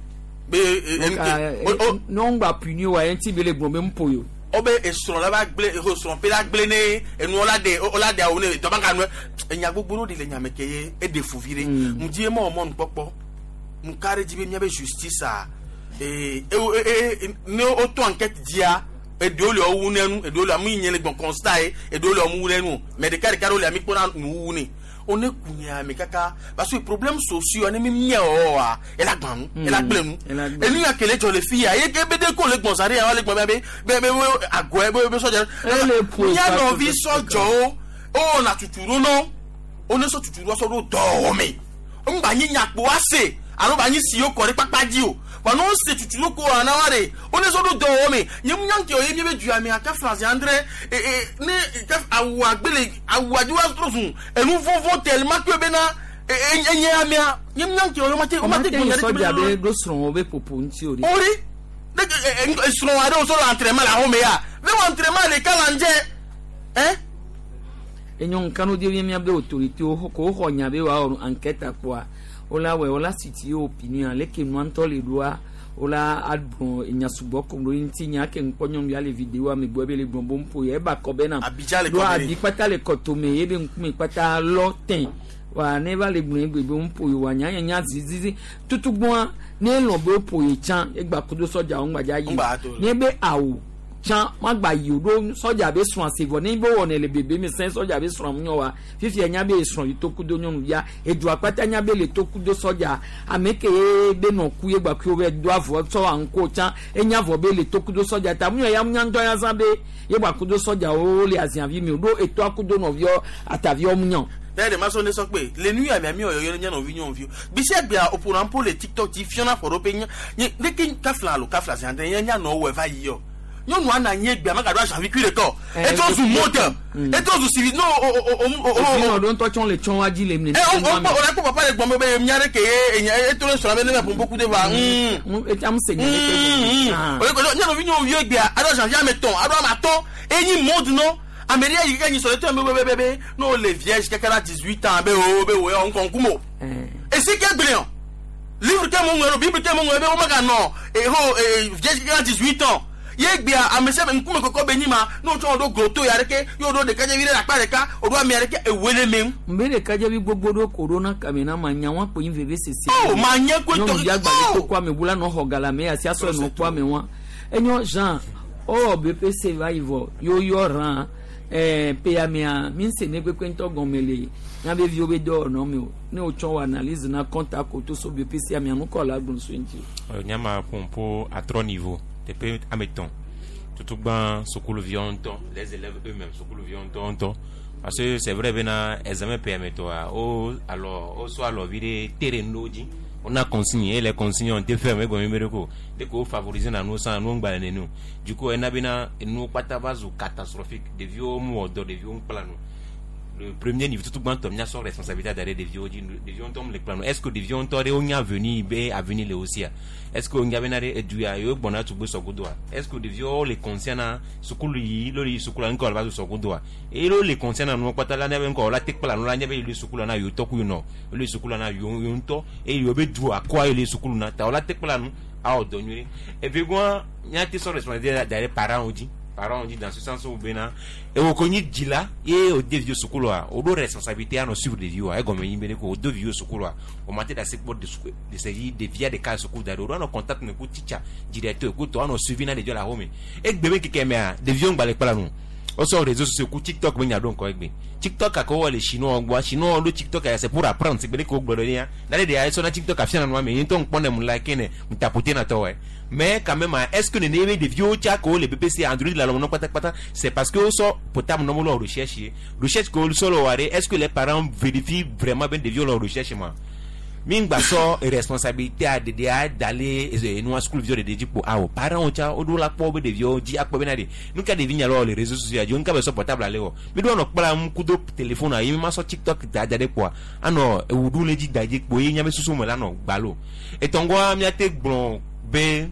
be e, enu ke o o Ne ŋgba puni wa ye ŋuti be le gblɔ be ŋpo yo. wo be esrɔ̃ la va gblẽ eho srɔ̃ pe la gblẽ ne enuwo la ɖe wo la ɖe awu ne dɔbaka nu enya gbogbo ɖewo ɖi le nyame ke ye eɖe fuvi ɖe ŋdi ye mɔ mɔnukpɔkpɔ nuka ɖe dzi be míabe justice a ee e e ne wotɔ enquête dzia eɖewo le wowu ne nu eɖewo le amu yi nye le gbɔn constat ye eɖewo le womu wu ne nu o mɛ ɖeka ɖeka ɖewo le ami kpɔna nuwuwu ne wo ne ku nya me kaka parce que problème sociaux ne mi mia wɔwɔa ela gbã nu ela gblẽ nu enu ya kele dzɔ le fi ya ye ke be de ko le gbɔn sa ɖe ya wa le gbɔn be be be be agɔɛ be be sɔdza Ele ƒo mia fa nɔvi tutu sɔdzɔwo wo na tutu ɖo nɔ wo ne sɔ tutu ɖo sɔ ɖo dɔwɔwɔ me ŋgba nyi nyakpo ase alo ba nyi si wo kɔ ɖe kpakpa dzi o wa ne wo se tutu ɖo ko ana wa ɖe wo ne sɔ ɖo dɔwɔwɔ me nye mu nyanke o ye mi be du ame aka France andre e e ne ka awu agbele awu adi wa trɔ zun enu vɔvɔ tellement que bena e e enye amea nye mu nyanke o ye o ma te o ma te Ɔma te yi gbɔnya ɖe sɔdza be ɖo srɔ̃wo be popo ŋuti o de. ori ne e srɔ̃ aɖewo sɔ le entraînement le ahome ya ne wɔ entraînement le ka la ŋdze hein Enyo nkanu di mi miabe autorité wo ko xɔ nya be wa wɔ enquête akpɔa wola wɔ wola siti opinion leke nua ŋutɔ le ɖoa wola agblɔ enya sugbɔ kom ɖo ŋuti nya ke ŋkpɔ nyɔnuvia le vidéo ame gbɔ be le gblɔ bo ŋpo ye eba kɔ bena Abidjan le ɖo kɔ be abi kpata le kɔtome ye be ŋkume kpata lɔ tẽ wa ne va le gblɔ egbe be ŋpo ye wa nya nye nya zizizi tutugbɔa ne elɔ̃ be woƒo ye tsã egba kudo sɔdzawo ŋgbadza yi Ŋgba to. ne be awu tsã magba yi o ɖo sɔdza be srɔ̃ ase vɔ ne be wɔnɛ le bebe me sɛn sɔdza be srɔ̃ ŋu wa fifia nya be srɔ̃ yi to kudo nyɔnuvia edua kpata nya be le to kudo sɔdza ame ke ye be nɔ ku ye gba ku be do avɔ sɔ aŋko tsã enya vɔ be le to kudo sɔdza ta mu ya mu nya ŋutɔ ya zã be ye gba kudo sɔdzawo le aziavi mi o ɖo etoa kudo nɔviɔ ataviɔ mu nyɔ. D'ailleurs, ma sonne sɔ kpe le nu ya mia mi ɔyɔyɔ ne nɔvi nyɔnuviwo gbèsè gbea oƒona ƒo le tiktok dzi fiɔna ƒo ɖo pe nye nye leke kafla alo kafla zi andre nye nyanɔ wɔ va yi yɔ nyɔnua na nye gbea magaɖo azavi kui ɖekɔ etrɔ zu mode etrɔ zu sivi no o o o o o òfin ọdún tó tsɔn le tsɔn wá jí le minɛ. ɛ o o o la ko papa le gbɔn be mia ɖe ke ye enya eto le srɔ̃ be ne bɛ ƒoƒo ku de va etsam se nya ɖe o le ko nyanɔvi nyɔnuviwo gbea aɖo azavi ame tɔn aɖo ame atɔ enyi mode nɔ ame ɖe yi keke nyi sɔ le tɔ be be be be n'o le vierge keke la 18 ans be o be o yɔ ŋkɔ ŋkume o esi ke gblẽ o livre ke mo ŋlɔ bible ke mo ŋlɔ be wo meganɔ eho vierge keke la 18 ans ye gbea ame sia ame ŋkume kɔkɔ be nyi ma n'o tsɔ ɖo groto ya ɖeke ye o ɖo ɖekadzevi ɖe le akpa ɖeka o ɖo ame ɖeke ewoe le me ŋu. nbe ɖekadzevi gbogbo ɖo ko ɖo na kame na ma nya wa kpo nyi veve sese. Oh, ma nye koe tɔ- nyɔnuvi agbalẽ to ko ame bu la nɔ xɔ gala me asi asɔ nɔ kpɔ ame wa enyo Jean ɔwɔ BPC va yi vɔ yewo yɔ rã Ɛɛ peyamea mi se ne kpekpe ŋutɔ gɔme le miabe viwo be dɔwɔnɔ me o ne wotsɔ wɔ analyse na compte akoto so BPC amea nukɔ la gblɔ so ŋuti. Nyama ƒoƒo atrɔ niveau teƒe ame etɔ̃ tutugbã sukuluviwo ŋutɔ les élèves eux-mêmes sukuluviwo ŋutɔ ŋutɔ parce que c'est vrai bena examen PME tɔa wo alɔ wosɔ alɔvi ɖe te ɖe nu ɖewo dzi wona consigne et les consignes ont été fermées gɔme be ɖe ko de ko favoriser na nuwo sã nuwo ŋgba le nene o du coup ena bena enuwo kpata va zu catastrophique ɖeviwo mu wɔ dɔ ɖeviwo ŋu kpla nu le premier niveau tutu gbãtɔ míasɔ responsabilité da ɖe ɖeviwo dzi ɖeviwo ŋutɔ mu le kpla nu est ce que ɖeviwo ŋutɔ ɖe wonya avenir be avenir le wo sia est ce que wonya bena ɖe edu ya yewo gbɔna tugbe sɔgodoa est ce que ɖeviwo le conscient na sukulu yi lo yi sukulu ŋkɔ la va zu sɔgodoa eye lo le conscient na nuwo kpata la ne be ŋkɔ la te kpla nu la nye be yi le sukulu na yewo tɔ ku yinɔ le sukulu na yewo yewo ŋutɔ eye yewo be du akɔa yi le sukulu na ta wola te kpla nu awɔ dɔ nyuie evegɔa míate sɔ responsabilité da ɖe parents dzi parents dzi dans ce sens où bena ewo ko nyi dzila ye o de viwo sukulua o ɖo responsabilité anɔ suivre ɖeviwoa egɔme nyi be ɖe ko o do viwo sukulua o ma te ɖe asi kpɔ de se yi ɖevia ɖeka le suku da ɖo o ɖo anɔ contact me ku teacher directeur ku tɔ anɔ suivi na ɖeviwo le axome egbe be keke mea ɖeviwo ŋgba le kpla nu wosɔ réseaux sociaux ku tiktok be nya ɖo ŋkɔ egbe tiktok kake wowɔ le chinois gbɔa chinois ɖo tiktok ya c'est pour apprendre sigbe ɖe ke wogblɔ ɖe ya na ɖe ɖe esɔ na tiktok afia na nua me ye ŋutɔ ŋkpɔ ne mu like ne mu tapote na tɔwɔe mais quand même est ce que nene be ɖeviwo tsa ke wole BPC Android le alɔme nɔ kpatakpata c'est parce que wosɔ portable nɔ wole recherche ye recherche ke wosɔ le wɔa ɖe est ce que les parents vérifient vraiment be ɖeviwo le recherche ma mi ŋgba sɔ responsabilité a ɖeɖea da le enua sukuviwo ɖeɖe dzi kpo awo parents tsa woɖo la kpɔ be ɖeviwo dzi akpɔ bena ɖe nu ka ɖevi nya le wɔ le réseaux sociaux dzi nu ka be sɔ portable ale wɔ mi ɖo anɔ kpla ŋu kudo téléphone a ye mi ma sɔ tiktok da da ɖe kpoa anɔ ewu ɖum le dzi da dzi kpo ye miabe susu me la nɔ gbalo etɔngɔa miate gblɔ be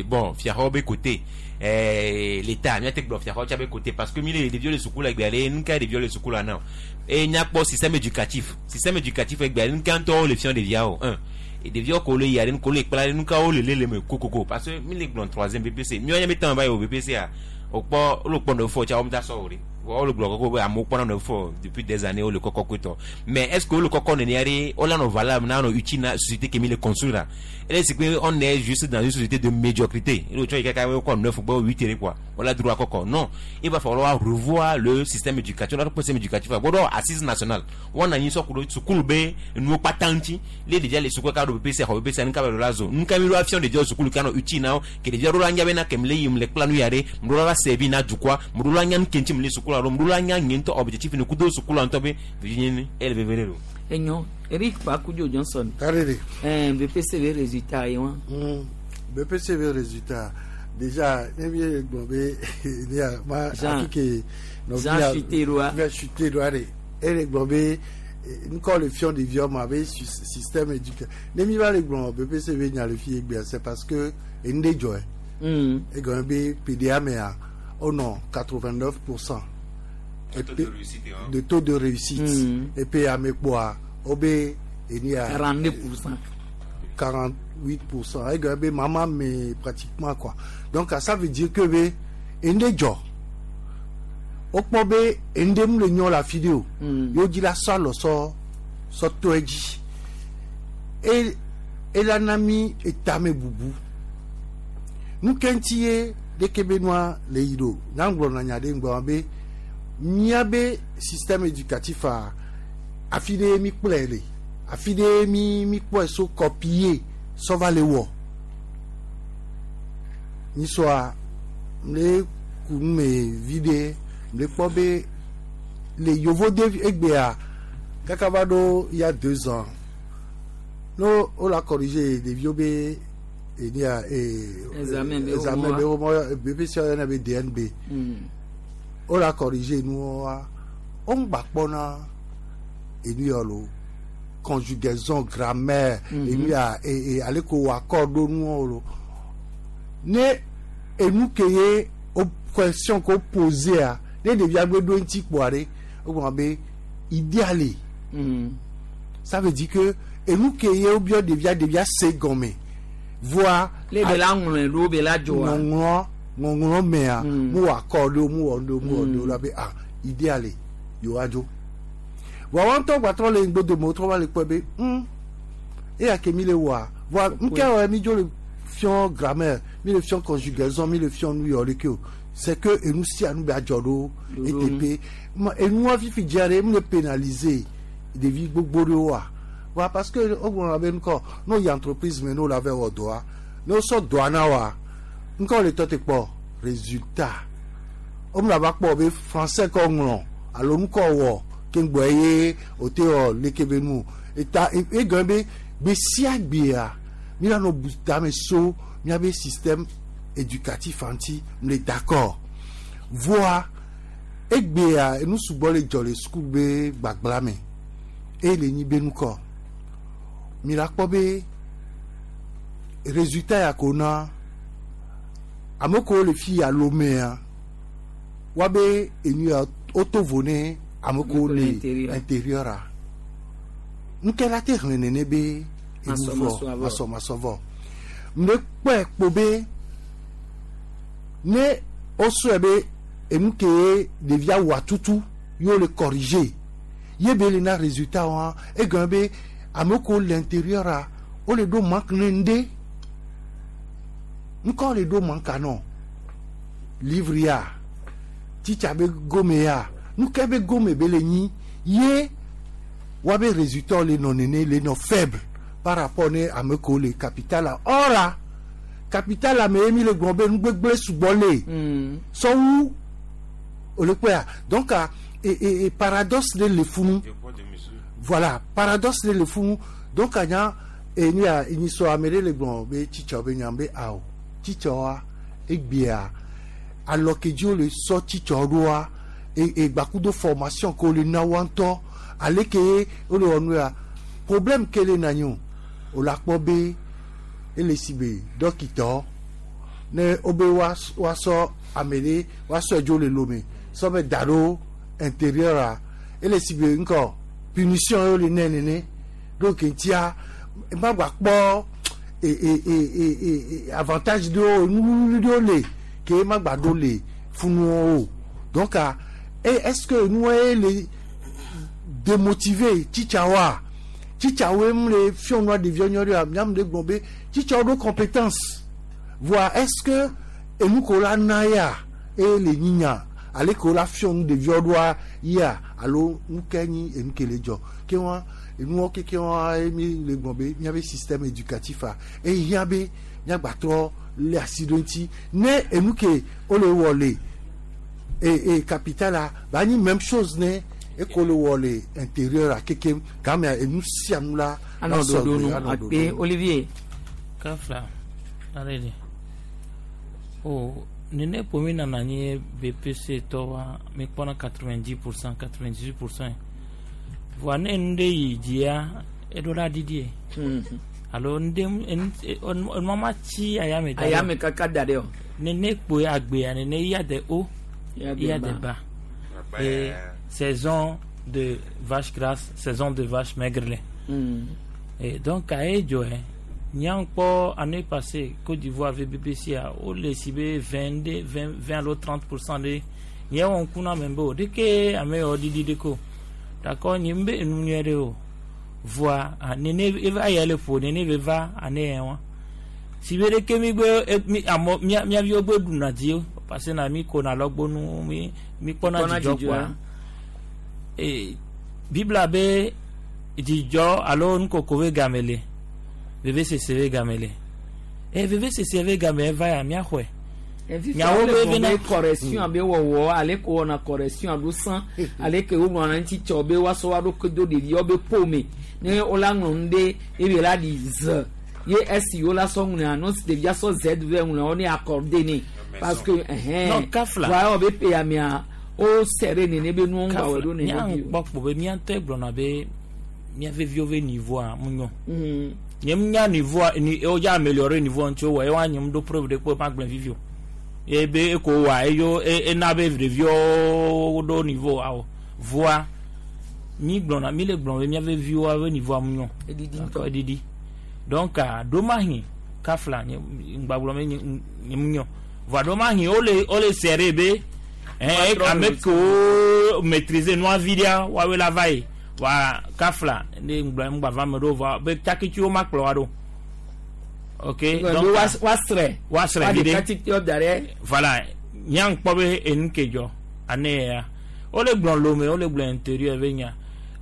bon fiaxɔ be côté l'état miate gblɔ fiaxɔ tsa be côté parce que mi le ɖeviwo le suku le egbea ɖe nu ka ɖeviwo le suku la na e miakpɔ système éducatif système éducatif egbea nu ka ŋutɔ le fiɔ ɖeviawo un ɖeviwo ko le yia ɖe nu ko le kpla ɖe nu ka wo le lé le me kokoko parce que mi le gblɔ troisième BPC miɔ nye mi tã va yi o BPC a wokpɔ wole kpɔ neuf tsa wo da sɔ o ɖe wole gblɔ kɔkɔ be amewo kpɔna neuf depuis des années wole kɔkɔ koetɔ mais est ce que wole kɔkɔ nenia ɖe wole nɔ valable na nɔ utile na société ke mi le construire ele si que on est juste dans une société de médiocrité ele tsɔ yi kaka wokɔ neuf gbɔ huit ɖe quoi wole droit kɔkɔ non il va falloir revoir le système éducatif wole système éducatif gbɔdɔ assise nationale wɔna anyi sɔ ku ɖo sukulu be enuwo kpata ŋuti le ɖevia le sukulu ka ɖo BPC xɔ BPC nu ka be ɖo la zo nu ka mi ɖo afiɔ ɖeviawo sukulu ka nɔ utile na wo ke ɖevia ɖo la nya bena ke mi le yim le kpla nu ya ɖe mo ɖo la va servir na dukɔa mo ɖo la nya nu ke ŋuti mi le sukula ɖo mo ɖo la nya nye ŋutɔ objectif ne kudo sukula ŋutɔ be vivi ele veve ɖe ɖo. Enyo Eric Pakujo Johnson. Karere. BPC be résultat ye wa. BPC be résultat déjà ne mi ye gblɔ be ne ya ma Jean afi ke Jean chuté ɖoa. Jean chuté ɖoa ɖe ele gblɔ be ŋkɔ le fiɔ ɖeviwo ma be système éducatif ne mi va le gblɔ BPC be nya le fi egbea c'est parce que enu ɖe dzɔe. Egɔme be PDA mea wonɔ 89% de taux de réussite et puis ame kpoa wobe enu ya 42%. 48%. Egɔme be mama me pratiquement quoi. Donc ça veut dire que be enu ɖe dzɔ wokpɔ be enu ɖe mu le nyɔ le afi ɖe o yewo dzi la sɔ alɔ sɔ sɔ to edzi e ela na mi etame bubu nu ke ŋuti ye ɖeke be nua le yi ɖo nyagblɔ na nya ɖe ŋgɔ be míabe système éducatif a afi ɖe mi kplɔe le afi ɖe mi mi kpɔe so copier sɔ va le wɔ nyisɔa mle ku nu me vi ɖe mle kpɔ be le yevo de egbea kaka va ɖo il y a 2 ans no wo la corriger ɖeviwo be enia Examen be examen be wo wo BPC yɔna be DNB wo la corriger nuwoa wo ŋgba kpɔna enu yɔ lo conjugaison grammaire enu ya ale ko wɔ akɔ ɖo nuwo lo ne enu ke ye o question ko posea ne ɖevia gbe ɖo eŋuti kpoa ɖe wogblɔ be idea le ça veut dire que enu ke ye wobiɔ ɖevia ɖevia se gɔme voa Le be la ŋlɔe ɖo be la dzɔa. ŋɔŋlɔ ŋɔŋlɔ mea mu wɔ akɔ ɖo mu wɔ ɖo mu wɔ ɖo la be ah idea le yewoa dzo voa wɔn ŋutɔ gbatrɔ le ŋgbodome wotrɔ va le kpɔe be eya ke mi le wɔa voa nke wɔ mi dzo le fiɔ grammaire mi le fiɔ conjugaison mi le fiɔ nu yɔ leke o C'est que enu sia nu be adzɔ ɖo eteƒe Ma enua fifi dzia ɖe emu le pénaliser ɖevi gbogbo ɖewoa wa parce que wogblɔna be ŋkɔ ne woyi entreprise me ne wole ava wɔ dɔa ne wosɔ dɔa na woa ŋkɔ le tɔ te kpɔ résultat womla va kpɔ be français kɔ ŋlɔ alo nukɔ wɔ keŋgbɔ eye wote wɔ leke be nu o. Eta egɔme be gbe sia gbea míanɔ bu tame so míabe système éducatif ŋuti mle d'accord voa egbea enu sugbɔ le dzɔ le sukulu be gbagbla me eye le nyi be nukɔ mi la kpɔ be résultat ya ko na ame kewo le fi ya lomea woabe enu ya woto vo ne ame kewo le intérieur a nuke la te xlẽ nene be enu vɔ masɔmasɔ vɔ mle kpɔe kpo be ne wosɔe be enu ke ɖevia wɔa tutu ye wole corriger ye be le na résultat wa egɔme be ame kewo le intérieur a wole ɖo manque ne ŋɖe ŋkɔ le ɖo manque anɔ livre ya titsa be gome ya nuke be gome be le nyi ye woabe résultat le nɔ nene le nɔ faible par rapport ne ame kewo le capital la ɔra capital la me ye mi le gblɔ be nugbegble sugbɔ le sɔwu o le kpɔa donc a e e paradoxe ɖe le funu voilà paradoxe ɖe le funu donc anya enu ya enyisɔ ame ɖe le gblɔ be tsitsɔ be nya be awo tsitsɔa egbea alɔ ke dzi wole sɔ tsitsɔ ɖoa e egbakudo formation ke wole na woa ŋutɔ ale ke wole wɔ nu ya problème ke le na nyi o wòle akpɔ be ele si be dɔkitɔ ne wobe woasɔ ame ɖe woasɔe dzo le lome sɔ be da ɖo intérieur a ele si be ŋkɔ punition ye wole nɛ nene ɖo ke ŋutia ma gba kpɔ e e e e e avantage ɖewo nuwuwuli ɖewo le ke ma gba ɖo le funuwo o donc a est ce que nuwo ye le démotiver tsitsawoa tsitsawoe mu le fiɔnua ɖeviwo nyuie ɖea miamu ɖe gblɔ be tsitsawo ɖo compétence voa est ce que enu ko la na ya eye le nyinya ale ke wola fiɔ nu ɖeviwo ɖoa yia alo nu ke nyi enu ke le dzɔ ke wa enuwo keke wa ye mi le gblɔ be miabe système éducatif a ehiã be miagbatrɔ le asi ɖo ŋuti ne enu ke wole wɔ le e e capital a ba nyi même chose ne eko le wɔ le intérieur a kekem gamea enu sia nu la anɔ ɖoɖo nu akpe Olivier. Kafla ale de o nene ƒo mi nana anyi BPC tɔwa mi kpɔna 90%, 98%. Voa ne nu ɖe yi dzia eɖo la ɖiɖi ye. Alo nu ɖe enu enua ma tsi ayame da ɖe. Ayame kaka da ɖe o. Nene kpoe agbea nene ya de o ya de ba. Et saison de vache grasse, saison de vache maigre le. Et donc aye dzɔe nyankpɔ année passée Côte d'Ivoire ve BBC a wole si be 22 20 20 alo 30% ɖe nye wɔ ŋku na ame be o ɖeke ame yawo ɖiɖi ɖe ko d'accord nye be enu nyuie ɖe o voa nene eva eya le ƒo nene ve va ane ya wa si be ɖeke mi gbe mi amɔ mia miaviwo gbe ɖuna dzi parce que na mi kona lɔgbonu mi mi kpɔna dzidzɔ kpoa e Biblia be dzidzɔ alo nukoko be game le vevesese be game le e vevesese be game eva ya miaxɔe nyawo be bena correction be wɔwɔ ale ko wɔna correction ɖo sã ale ke wogblɔna ŋuti tsɔ be woasɔ wa ɖo do ɖeviwo be ƒome ne wola ŋlɔ nu ɖe eye la ɖi ze ye esi wola sɔ ŋlɔa no ɖevia sɔ z vɛ ŋlɔ wo ne accordé ne parce que ɛhɛn non kafla wa be pe amea wo sɛ ɖe nene be nuwo ŋgba wɔ ɖo nene bi o. Kpɔ be miatɔ gblɔna be mia veviwo be niveau a mu nyɔ. Nye nya niveau a ni o ya améliorer niveau ŋuti wɔ ewa nye mu ɖo preuve ɖe kpɔ ma gblẽ vivi o ye be eko wa eyo ena be ɖeviwo ɖo niveau awɔ voa mi gblɔna mi le gblɔm be mia veviwo be niveau a mu nyɔ. Eɖiɖi ŋutɔ eɖiɖi donc ɖomahi kafla nye ŋgba gblɔm be nye mu nyɔ voa ɖomahi wole serré be ame kewo maîtriser nua vi ɖea woawoe la va yi wa kafla ne ŋgba ŋgba va me ɖo voa be tsakitsiwo ma kplɔ wa ɖo ok donc wasrɛ wasrɛ vi ɖe voilà Nya ŋkpɔ be enu ke dzɔ ane ya wole gblɔ Lome, wole gblɔ intérieur be nya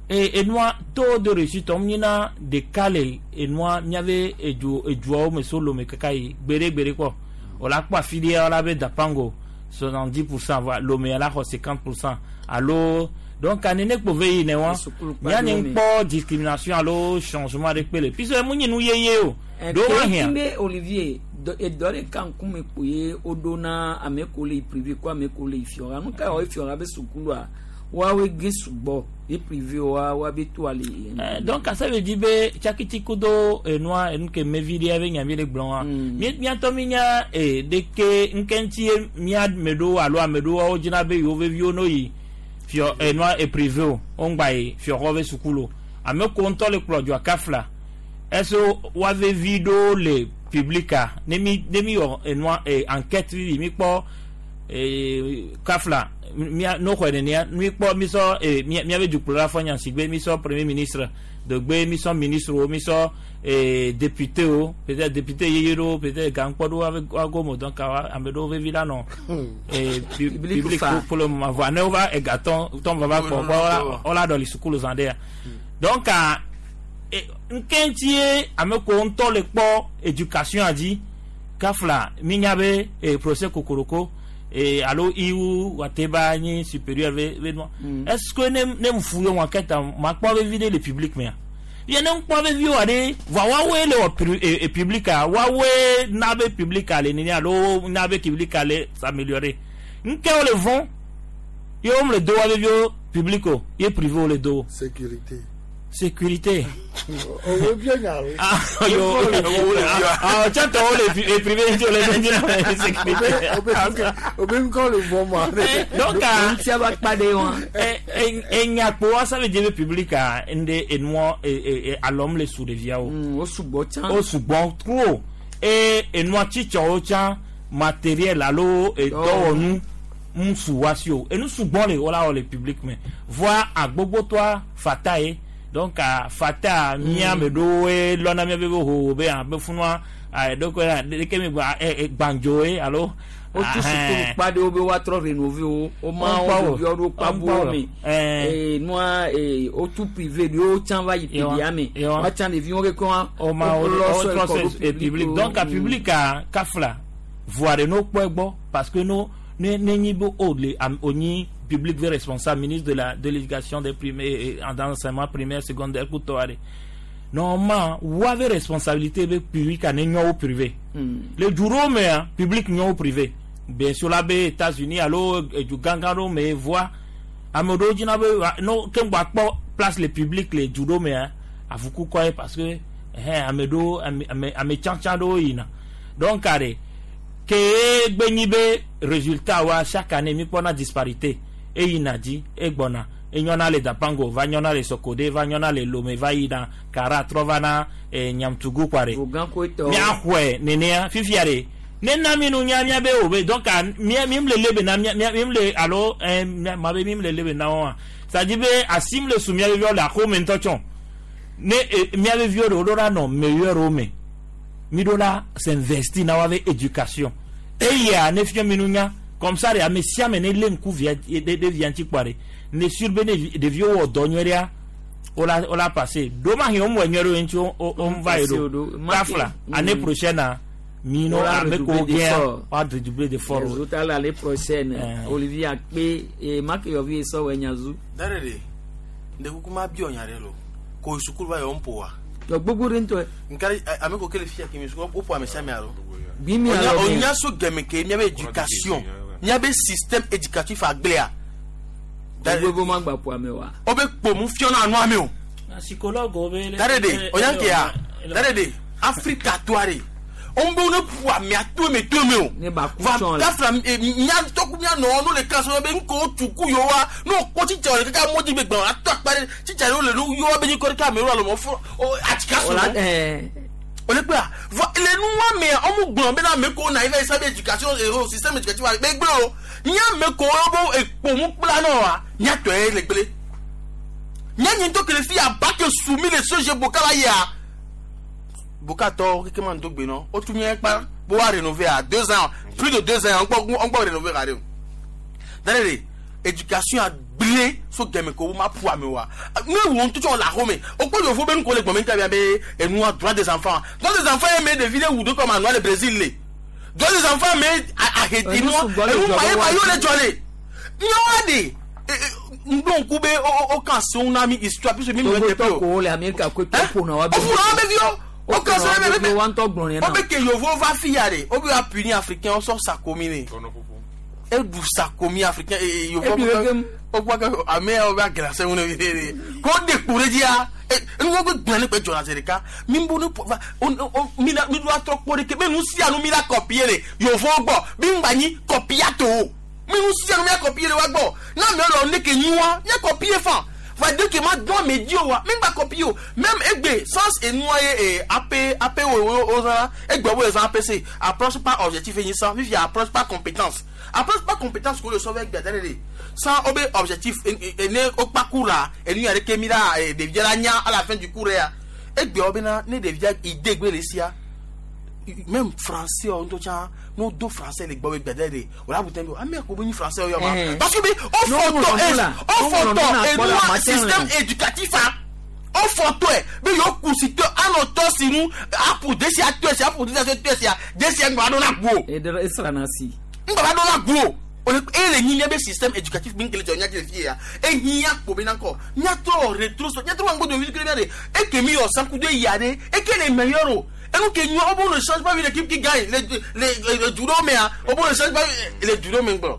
e enua taux de réussite wɔm nyina ɖeka le enua miabe edu eduawo me so Lome kaka yi gbeɖe gbeɖe kpɔ o la kpɔ afi ɖe la be Dapango 70 %, va Lome la xɔ 50 % alo. Donc anene kpo ve yi ne wa miani ŋkpɔ discrimination alo changement ɖe kpe le puisque emu nyi nu yeye o ɖo wa hiã. Be Olivier edɔ ɖeka ŋkume kpo ye woɖo na ame ko le yi privé ko ame ko le yi fiɔha nu ka wɔ fiɔha be sukulua woawoe ge sugbɔ ye privé wa woabe to ale. Donc ça veut dire be tsakiti kudo enua enu ke mevi ɖe be nya mi le gblɔ wa mi miatɔ mi nya ɖeke ŋke ŋuti ye mia ame ɖewo alo ame ɖewo wo dzina be yewo veviwo no yi fiɔ enua e privé o wo ŋgba yi fiɔxɔ be sukulu ame ko ŋutɔ le kplɔ dzoa kafla est-ce woa vevi ɖewo le public a ne mi wɔ enua enquête vivi mi kpɔ kafla mia no xɔe nenea mi kpɔ mi sɔ mia miabe dukplɔla fɔ nya sigbe mi sɔ premier ministre degbe mi sɔ ministre wo mi sɔ député wo, peut-être député yeye ɖewo, peut-être gankpɔ ɖewo ave ago donc ame ɖewo vevi la nɔ public pour le moment. Voa ne wova egatɔ tɔn va va kpɔ kpɔ wola ɖɔli sukulu zã ɖe ya. Donc nke ŋuti ye ame ko ŋutɔ le kpɔ éducation a dzi kafla mi nya be professeur Kokoroko alo iwu wateba nyi supérieur ve ve nua est ce que ne fu ye wɔn kɛta ma kpɔ vevi ɖe le public mea ye ne ŋkpɔ vevi wa ɖe voa woawoe le wɔ public a woawoe na be public a le nene alo na be public a le s'améliorer nke wo le vɔn ye wo le do wa veviwo public o ye privé wo le do. Sécurité. Sécurité. Owó bí ẹ̀yà rẹ̀. Ah yo, ah tiens, wo le privé wo le do sécurité. Obe nkɔ le vɔ ma. Donc ŋutia va kpa ɖe wa. Enyakpo wa ça veut dire public a nde enua alɔm le su ɖeviawo. O sugbɔ tsã. O sugbɔ trop e enua tsitsɔwo tsã matériel alo dɔwɔnu ŋsu wa si o enu sugbɔ le wala wɔ le public me voa agbogbotoa fata ye. Donc a fata mía me ɖewoe lɔna mía be ho be abe funua ɖeke ɖeke mi gba gbãdzo ye alo. Wotu sukulu kpa ɖewo be woatrɔ rénover wo woma wo ɖeviwo ɖo kpabuwo me nua wotu privé ɖewo tsã va yi pedia me woatsã ɖeviwo keke wa. Woma wo trɔ sɔ public. Donc a public a kafla voa ɖe no kpɔ egbɔ parce que no ne ne nyi be o le o nyi public ve responsable ministre de l'éducation des primaires d'enseignement primaire, secondaire kutɔ aɖe normalement woave responsabilité be public a ne nyɔ wo privé le du ɖewo mea public nyɔ wo privé bien sûr la be États-Unis alo edu gãgã ɖewo me voa ame ɖewo dzina be no ke ŋgɔ akpɔ place le public le du ɖewo mea avuku kɔ ye parce que ɛhɛn ame ɖewo ame ame ame tsãtsã ɖewo yina. Donc aɖe ke gbe nyi be résultat wa chaque année mi kpɔna disparité eyina dzi egbɔna enyɔna le Dapango va nyɔna le Sokode va nyɔna le Lome va yina Kara trɔ va na Nyamtugu kua ɖe miaxɔe nenea fifia ɖe ne na mi nu nya mia be o be donc mia mi le lebe na mia mi le alo ma be mi le lebe na wɔa c'est à dire be asim le su mia be viwo le axome ŋutɔ tsɔ ne mia be viwo ɖe wo ɖo la nɔ meilleur wo me mi ɖo la s'investir na wa be éducation eya ne fia mi nu nya comme ça de ame sia ame ne lé ŋku via ɖe via ŋuti kpɔa ɖe ne sur be ne ɖeviwo wɔ dɔ nyuie ɖea wola passé domahi wo mɔ nyuie ɖe wo ŋuti wo va yi ɖo kafla année prochaine mi no ame ko gɛn wa redoubler d'effort. Résultat l'année prochaine Olivier Akpe et Makeyovi sɔ wɔ nyazu. Dare de nde kuku ma bi ɔnya ɖe lo ko sukulu va yɔ ŋpo wa. Yɔ gbogbo ɖe ŋutɔ. Nkari ame ko kele fia kemi sukulu o ƒo ame sia ame alo. Bi mi alɔ mi. Onya so gɛmɛ ke miabe éducation miabe système éducatif agblea. Gbogbo ma gba ƒo ame wa. O be kpomu fiɔna anu ame o. Psychologue o be. Dare de onya ke ya dare de Afrika toa de on be ne ƒo amea to eme to eme o. Ne ba ku tsɔn la. Va mia tɔku mia nɔ no le classe be ŋkɔ tuku yewoa ne wokpɔ tsitsa le kaka mɔdzi be gbɔn atɔ akpa ɖe tsitsa ɖewo le nu yewoa be nyikɔ ɖeka amewo alo mɔ fɔ atsika so. O le kpea vɔ le nua mea ɔmu gblɔ bena ame ko na yi va yi sa be éducation ero système éducatif wa be gblẽ o nya ame ko wo ekpomu kpla nɔ wa nya tɔ ye le gblẽ nya nyi ŋutɔ kele fi aba ke su mi le soje boka la yia boka tɔ keke ma ŋdɔ gbe nɔ o tu mia kpa Bo wa rénover à 2 ans, plus de 2 ans, on peut rénover radio. D'ailleurs, éducation a gblé so gɛmɛ ko ma pu ame wa ne wo ŋutɔ la xɔme o kpɔ yovo be nukɔ le gbɔmɛ ŋutɔ be enua droit des enfants, droit des enfants ye me ɖevi ɖe wu do kɔma nua le Brésil le droit des enfants me ahedi nua enu ma ye ma ye o le dzɔ le nyawa de ŋdɔ ŋku be o kan seŋ na mi histoire puisque mi mi Togo tɛ pe tɔ o ko le Amerika ko tɔ ƒona wa o ƒona wa be viwo o kan seŋ be be wa ŋutɔ gblɔ nɛ o na. be ke yovo va fi ya de o be wa punir africain o sɔ sakomi ne eɖu sakomi africain ee yovo Ebi weke mu. o gbɔ ke ame yawo be aglase ŋu ne vi de ko de kpo ɖe dzia enu wo gblẽ ne kpe dzɔna zi ɖeka mi bo ne va o o mi la mi do atrɔ kpɔ ɖeke be nu sia nu mi la kɔpie le yovo gbɔ mi ŋgba nyi kɔpia to o mi nu sia nu mi la kɔpie le wa gbɔ na mi lɔ ne ke nyi wa mi kɔpie fan va de ke ma dɔn ame dzi o wa mi ŋgba kɔpie o même egbe sans enua ye ee ap ap wo wo wo zã egbe wo zã apc approche par objectif enyi san fifia approche par compétence, approche par compétence ko le sɔ vɛ gbɛdɛ de sans o be objectif ene o kpa cours la enu yɛrɛ ke mi la ɖevia la nya à la fin du cours ya egbe wo bena ne ɖevia idée gbe le sia même français o ŋutɔ tsã n'o do français le gbɔ be gbɛdɛ de o la butɛ bi ame ko be nyi français o yɔ ma parce que be o fɔtɔ o fɔtɔ enua système éducatif a o fɔtɔ yɛ be yewo kusi tɔ anɔ tɔ si nu apu desia tɔ sia apu desia tɔ sia desia ŋgba ɖo na gu o. Eɖe esrana si. Ŋgba ɖo na gu o o le eye le nyi miabe système éducatif mi kele dzɔ nya dzi le fie ya ehiã kpo be nakɔ miatrɔ rétro miatrɔ wa ŋgɔdo vi kele mia de eke mi yɔ sankudo ya de eke le meilleur o enu ke nyɔ o bo ne change pas une équipe qui gagne les judo mea o bo ne change pas les judo me ŋgblɔ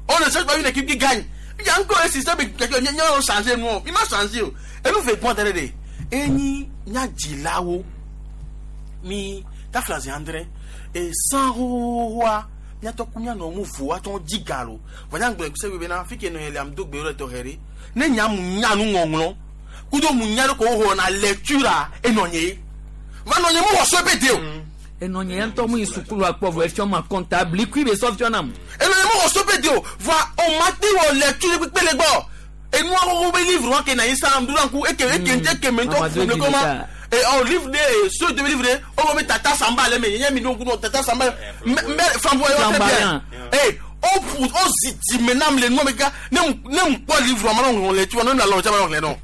on ne change pas une équipe qui gagne yan ko le système éducatif nya nya o changer nu o mi ma changer o enu fe gbɔn tɛrɛ de enyi nya dzilawo mi kafla zi andre e san hohohoa miatɔ ku mianɔ mu vo atɔ dzi ga lo vɔ nya gblɔ se bena fi ke nɔ yɛ le am do gbe le tɔxɛ ɖe ne nya mu nya nu ŋɔŋlɔ kudo mu nya ɖe ko xɔna lecture enɔ nye ye va nɔ nye mu wɔ so pe de o. Enɔ nye ŋutɔ mu yi sukulu akpɔ vɔ efiɔ ma kɔnta blikui be sɔ fiɔ nam. Enɔ nye mu wɔ so pe de o vɔ o ma te wɔ lecture kpekpe le gbɔ enua xoxo be livre wa ke na yi sa ŋdu ŋku eke eke eke me ŋutɔ fu le kɔma et oh livre de ceux de livre de oh mais tata samba le mais y'a mis donc tata samba mais flamboyant très bien eh oh pour oh si maintenant le nom mais gars ne ne pas livre ma non lecture non la non non non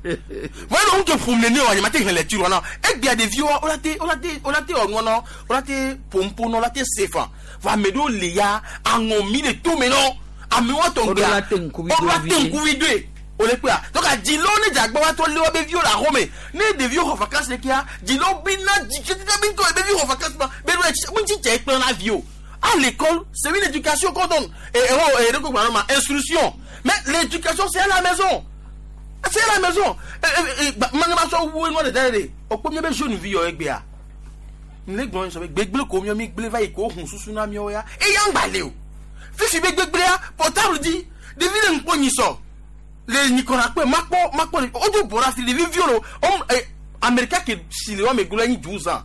voilà donc que pour mener on m'a lecture non et bien des vieux on a té on a té on a té on non on a té pompo non la té sefa va me do le ya angon mi de tout mais non ami wa ton gars O la té nkuvi o la té nkuvi deux o le kpea donc adzilo ne dzagbɔ wa tɔ lé wa be viwo le axɔme ne ɖeviwo xɔ vacances le kia dzilo bina dzi tete bi ŋkɔ be viwo xɔ vacances ma be ɖo etsi ŋuti dze kplɔ na viwo à l'école, c'est une éducation qu'on donne et oh et donc ma instruction, mais l'éducation, c'est à la maison, c'est à la maison. Mane ma sɔ wu enua le da ɖe o kpɔ miabe jeune vi yɔ egbea ne gblɔ sɔ be gbegble ko miɔ mi gble va yi ko hun susu na miɔ ya eya ŋgba le o fifi be gbegblea portable di ɖevi le ŋkpɔ nyi sɔ le nyikɔna kpɛ makpɔ makpɔ o do bɔra fi ɖevi viwo lo ɔm ɛ amɛrika ke si le wɔme gblɔ nyi 12 ans,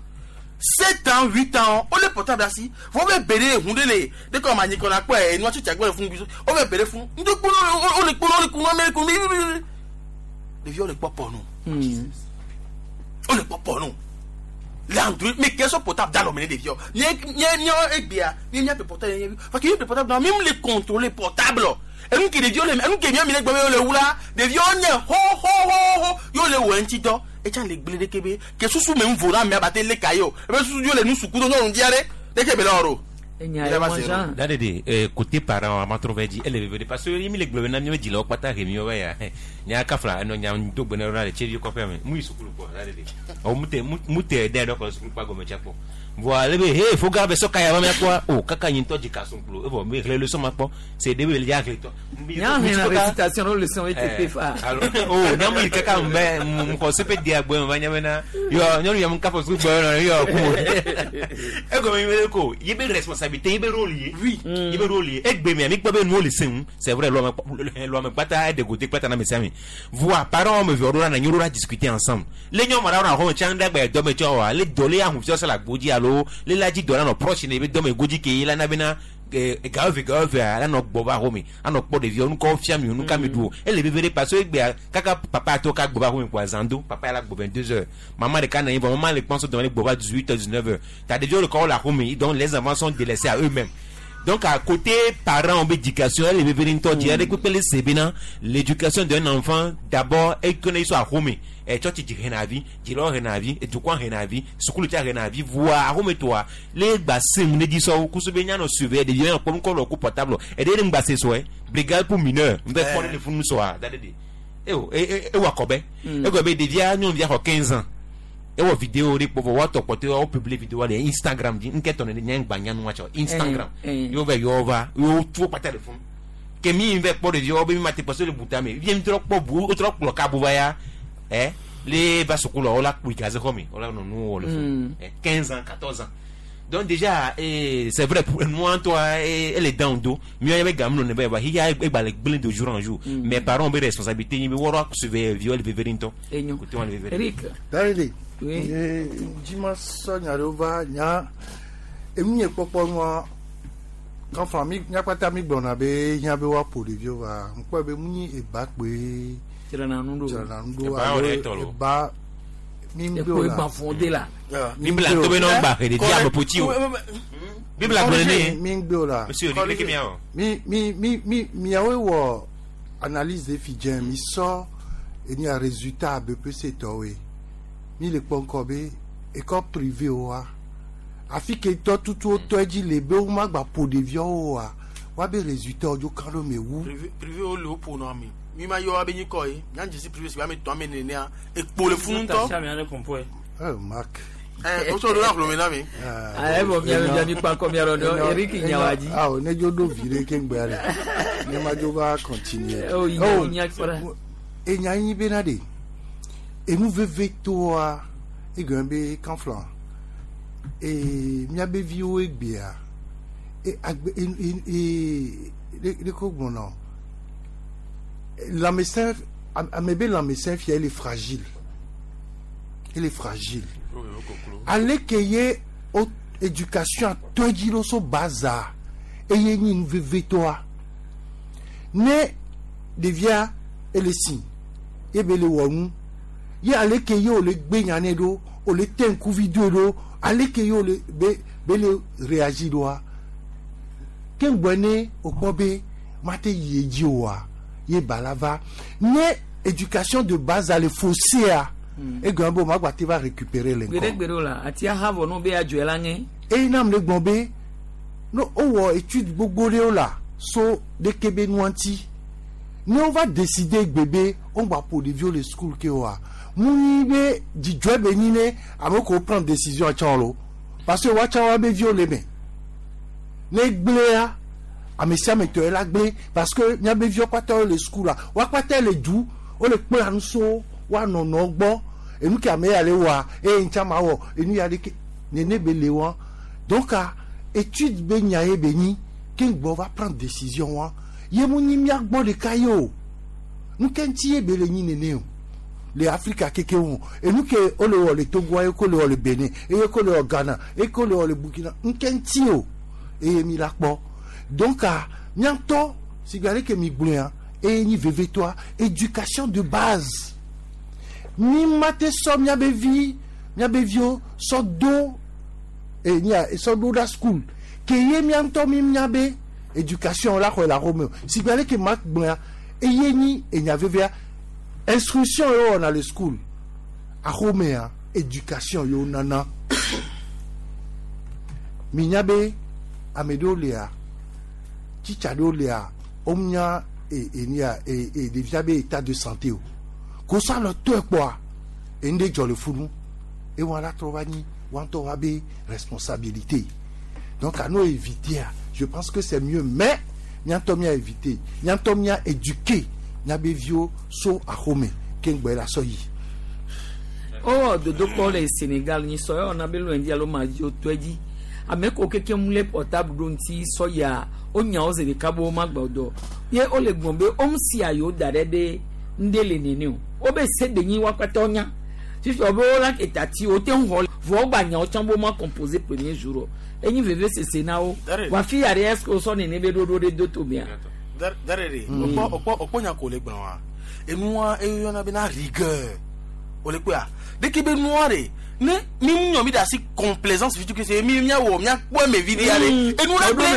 7 ans, 8 ans o le portable asi fɔ bɛ bere ehun de le de kɔ ma nyikɔna kpɛ enua tsitsi agbɛ fún bi o bɛ bere fún ŋdɔ kpɔnɔ o le kpɔnɔ o le kunu ame kunu ɖeviwo le kpɔ pɔnu o le kpɔ pɔnu le android mais quel soit portable dans l'homme ɖeviwo nye nye nye egbea nye nye portable nye parce que nye portable na mi le contrôler portable enu ke ɖeviwo le enu ke miami le gbɔ be wo le wu la ɖeviwo nye ho ho ho ho yewo le wɔ eŋuti dɔ etsa le gble ɖeke be ke susu me ŋu vo na amea ba te le ka ye o ebe susu yewo le nu suku do nyɔnu dzia ɖe ɖeke be le wɔ ɖo. Là, de côté parent, ma trouvé dit, elle est parce que mi le gblɔ na mi me dzilawo kpata he mi wɔ ya nya kafla eno nya do gbe na le tsevi kɔfɛ me mu yi sukulu kpɔ la de o mu te mu te ɖe ɖe kɔ sukulu kpa gɔme tsa kpɔ voa le be he fo ga be sɔ kaya ma mia kpɔ o kaka nyi ŋutɔ dzi ka sunkulu evɔ mi xlẽ leçon ma kpɔ c'est de be ya xlẽ tɔ. Nya hɛn na récitation o leçon ETP fa. O nya mu yi kaka mu bɛ mu xɔ sepe di agbe mu va nya bena yɔ nyɔnu ya mu kafɔ sukulu gbɔ yɔ yɔ ku egɔme mi be ko ye be responsabilité ye be rôle ye. Oui, ye be rôle ye egbe mia mi kpɔ be nuwo le se ŋu c'est vrai lɔme kpata eɖe gote kpata na me sia mi voa parents me vi ɖo na nyi ɖo la discuter ensemble le nyɔnu ɖe na xɔme tsã ɖe agba dɔme tsɔ wa le dɔ le ahun fiɔ se le agbo dzi alo le la dzi dɔ la nɔ proche ne be dɔme godzi ke ye la na bena Gawo eve gawo evea anɔ gbɔ va xɔme anɔ kpɔ ɖeviwo nukɔ fia mi nuka mi ɖu o ele veve ɖe parce que egbea kaka papa tɔ ka gbɔ va xɔme kpoa zã do papa ya la gbɔ 22 heures maman ɖeka nɔ anyi vɔ maman le kpɔn so dɔme le gbɔ va 18 heures 19 heures ta ɖeviwo le kɔ le axɔme donc les enfants sont délaissés à eux-mêmes. Donc à côté parents éducation elle est veve ŋutɔ dzi aɖe kpekpe le se bena l'éducation d'un enfant d'abord ekene so axɔme tsɔtsi dzi hena vi dzilawo hena vi edukɔ hena vi sukulu tsa hena vi voa axɔme tɔa le gba sem ne dzi sɔwo kuso be nyanɔ surveiller ɖeviwo yan kpɔ ŋkɔ lɔ ku portable eɖe ne ŋgba se sɔe brigade pour mineur ŋbɛ kpɔ ne le funu sɔa da ɖe de ewo ewɔ akɔbɛ egɔ be ɖevia nyɔnuvia xɔ 15 ans ewɔ vidéo ɖe kpɔ vɔ woatɔ kpɔtɛ wo publier vidéo le Instagram dzi ŋkɛtɔ ne nye ŋgba nyanua tsɔ Instagram yewo vɛ yɔ va yewo tu wo kpata le funu ke mi vɛ kpɔ ɖeviwo be mi ma te kpɔ so le buta me vie mi trɔ kpɔ bu wo trɔ kplɔ kabu va ya ɛ le va sukulu wo la kpui gaze xɔ me wo la nɔ nu wɔ le funu 15 ans 14 ans donc déjà c'est vrai pour nous toi elle est dans dos mieux avec gamin ne va il y a le gblé de jour en jour. Mais parents ont responsabilité ni woro surveiller viol veveri ntɔ côté on le veveri. Eric. Darede. Dzima sɔ nya ɖewo va nya enu nye kpɔkpɔ nua kɔnfa mi nyakpata mi gblɔna be hiã be woaƒo ɖeviwo va ŋkpɔe be mu nyi eba kpoe dzrana nu ɖo dzrana nu ɖo Eba alo wɔ ɖe tɔ lo. eba mi ŋgbe Ekpo o la egba fɔ de la. Biblia to be na gba he ɖevi ame ƒoti o Biblia gblɔ ne mi ŋgbe o la monsieur Eric leke mia wɔ mi mi mi mi miawoe wɔ analyse de fi dze mi sɔ enya résultat BPC tɔwoe mi le kpɔ ŋkɔ be école privée wa afi ke tɔ tutu wotɔ dzi le be womagba ƒo ɖeviawo oa woabe résultat dzo kan ɖo me wu privé privé wo le wo ƒo nɔ ame mi ma yɔ abe nyikɔ ye miadze si privé si be ame tɔn ame nenea ekpo le funu ŋutɔ Eh, Marc. ɛ o sɔ do la hlome na mi. Ayi bɔ miabe bia mi kpa kɔ miarɔ dɔ Eric Nyawadzi. Awo ne dzo ɖo vi ɖe keŋgbea ɖe ne ma dzo va continuer. Oh, Oh, nya kpɔra. enya nyi bena ɖe enu veve toa egɔme be kanfla ee miabe viwo egbea e agbe e e e ɖe ko gblɔna lãmesẽ ame be lãmesẽ fia ele fragile ele fragile aleke ye o éducation atɔ dzi ɖo so baza eye nyi nu veve toa ne ɖevia ele si ye be le wɔ nu ye aleke ye wòle gbe nya nɛ ɖo wòle te ŋkuvi doe ɖo aleke ye wòle be be le réagir ɖoa ke ŋgbɔ ne wòkpɔ be mate yi edzi oa ye ba la va ne éducation de base ale faussée egɔme be wòmagba te va récupérer le ŋkɔ Gbeɖegbeɖe o la ati aha vɔ n'o be adzɔe la ŋe. eye nam le gblɔ be no wowɔ étude gbogbo ɖewo la so ɖeke be nua ŋuti ne wova décider gbe be wogba ƒo ɖeviwo le school ke oa mu nyi be dzidzɔe be nyi ne ame kewo prendre décision tsã lo parce que woatsã woabe viwo le me ne gblẽa ame sia ame tɔ ye la gblẽ parce que miabe viwo kpata wo le school la woakpata le du wole kplã nu so woanɔnɔ gbɔ enu ke ame ya le wɔa eye ŋtsa ma wɔ enu ya ɖeke nene be le wa donc a étude be nya ye be nyi ke ŋgbɔ va prendre décision wa ye mu nyi mia gbɔ ɖeka ye o nu ke ŋuti ye be le nyi nene o le Afrika keke wo enu ke wole wɔ le Togo ye ko le wɔ le Benin eye ko le wɔ Ghana eye ko le wɔ le Burkina nu ke ŋuti o eye mi la kpɔ donc a miatɔ si gbe aleke mi gblɔa eye nyi vevetɔa éducation de base mi ma te sɔ miabe vi miabe viwo sɔ do e nia sɔ do ɖa school ke ye mia ŋutɔ mi miabe éducation la xɔe le axɔme o si gbe aleke ma gblɔa eye nyi enya vevia instruction ye wɔna le school axɔmea éducation ye wonana mi nya be ame ɖewo lia titsa ɖewo lia womenya e enia e e ɖevia be état de santé o kosa le tɔe kpɔa enu ɖe dzɔ le funu ewɔ la trɔ va nyi wa ŋutɔ wa be responsabilité donc à nous éviter je pense que c'est mieux mais miatɔ mia éviter miatɔ mia éduquer miabe viwo so axɔme ke ŋgbɛ la sɔ yi. Owɔ dodokpɔ le Senegal nyi sɔ yɔ na be lundi alo mardi o tɔe dzi ame ko keke mu le portable ɖo ŋuti sɔ ya wonya wo zi ɖeka be womagba o dɔ ye wole gblɔm be womesia yewo da ɖe be ŋɖe le nene o wobe se de nyi woakpata wonya fifi wo be wola etati wote ŋu xɔ Vɔ gba nyawo tsã bo ma composé premier jour o. Enyi veve sese na wo. Wa fi ya ɖe est ce que wosɔ nene be ɖoɖo ɖe do to mea? Darere, okpɔ nya ko le gblɔ wa. Enua eyɔna bena rigueur. O le kpɔa. Dès be nua de ne mi ŋu mi da si complaisance fi tu se mi mia wɔ mia kpɔ eme vi ɖe ale. Enu la gblẽ.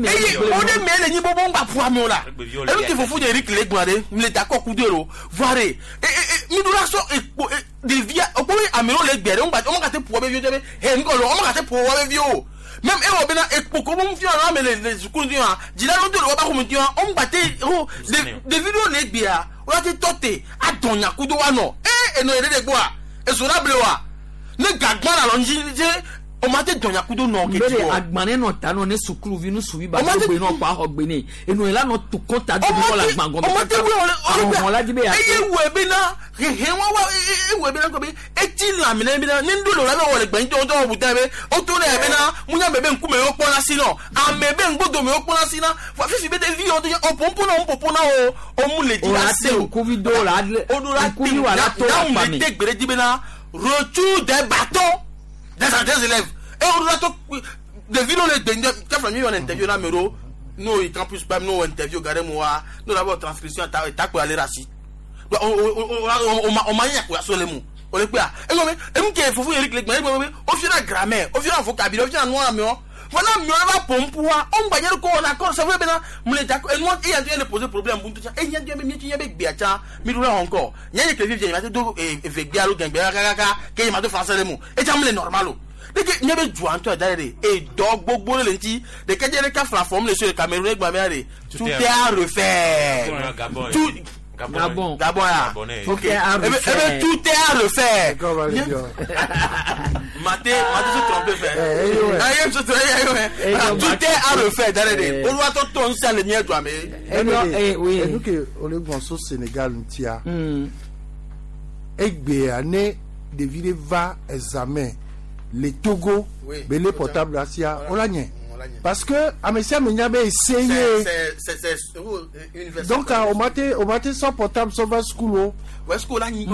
Eye o de me le nyi bobo ŋgba ƒu amewo la. Enu ti fofo de Eric le gblɔ ɖe mi le d'accord ku de lo. Voa de mi do la sɔ ekpo ɖevia okpo be amewo le gbe ɖe ŋgba wɔn ka te ƒo be vi be he ŋgɔ lo wɔn ka te ƒo wo be vi o. Même ewɔ bena ekpo ko mu fiɔ na ame le sukulu ti wa dzila ɖewo do le woƒe axɔme ti wa wo ŋgba te ho ɖevi ɖewo le egbea wo la te tɔ te adɔ nyakudo wa nɔ ee enɔ yɛ ɖe ɖe gbɔa ezo la ble wa ne gagbã le alɔ ŋdzi dze o ma te dɔ nyakudo nɔ ke Mbele dzi o. agbane nɔ ta nɔ ne sukuluvi nusuvi ba do gbe nɔ kpa xɔ gbe ne enu yi la nɔ tu kɔnta do kɔ le agba gɔmɛ o ma te wɔ le ahɔhɔn la dzi be ya eye wɔ bena hehe wa wa ewɔ bena kɔ be etsi lãme ne bena ne ŋdo le la be wɔ le gbɛn tɔ tɔ bu ta be o to ne bena munya me be ŋkume wo kpɔna si nɔ ame be ŋgbodome wo kpɔna si na fifi be ɖevi yɔ to nye o popo na o popo na o o mu le dzi O la la se te o ŋkuvi do la o do la ŋkuvi wa la to na akpa mu me. le te gbe ɖe dzi bena retour des bâtons des élèves et o do la to ɖevi ɖewo le gbe ŋdɔ tɛfɛ mi yɔ ne interview na ame ɖewo n'o yi campus kpam n'o interview ga ɖe mu wa n'o la bɔ transcription ta takpo ale ɖe asi o ma nya ko aso le mu o le kpea egbe be enu ke fofo yeri kile gbɛ egbe be o fiona grammaire o fiona vocabulaire o fiona nua amewo fana amewo va pompu wa o ŋgba nye ko wɔna kɔ sɛfɛ bena mu le dakɔ enua eya ŋutɔ le poser problème buntu tsa eya ŋutɔ be mietsi nye be gbea tsa mi ɖo la xɔ ŋkɔ nye nye kele fifia nye ma te do eve gbea alo gɛngbea kakaka ke nye ma do français le mu etsa mu le normal o deke nye be dua ŋutɔ da ɖe edɔ gbogbo ɖe le ŋuti ɖeke dze ɖeka fla fɔm le so le Cameroun egba mea de tout est à refaire tout Gabon. Gabon ya. Ok. Eh ben, tout est à refaire. Maté, Maté se trompe fait. Ah, il se trompe. Tout est à refaire. D'aller. On doit tout ton ça le mien doit mais. Enu ke ole gbɔn so Sénégal ŋutia. Egbea ne ɖevi ɖe va examen le Togo be le portable asia wola nye. Parce que ame sia ame nya be ese ye. C'est université. Donc o ma te o ma te sɔ portable sɔ va school o. Ouais, school la nyi.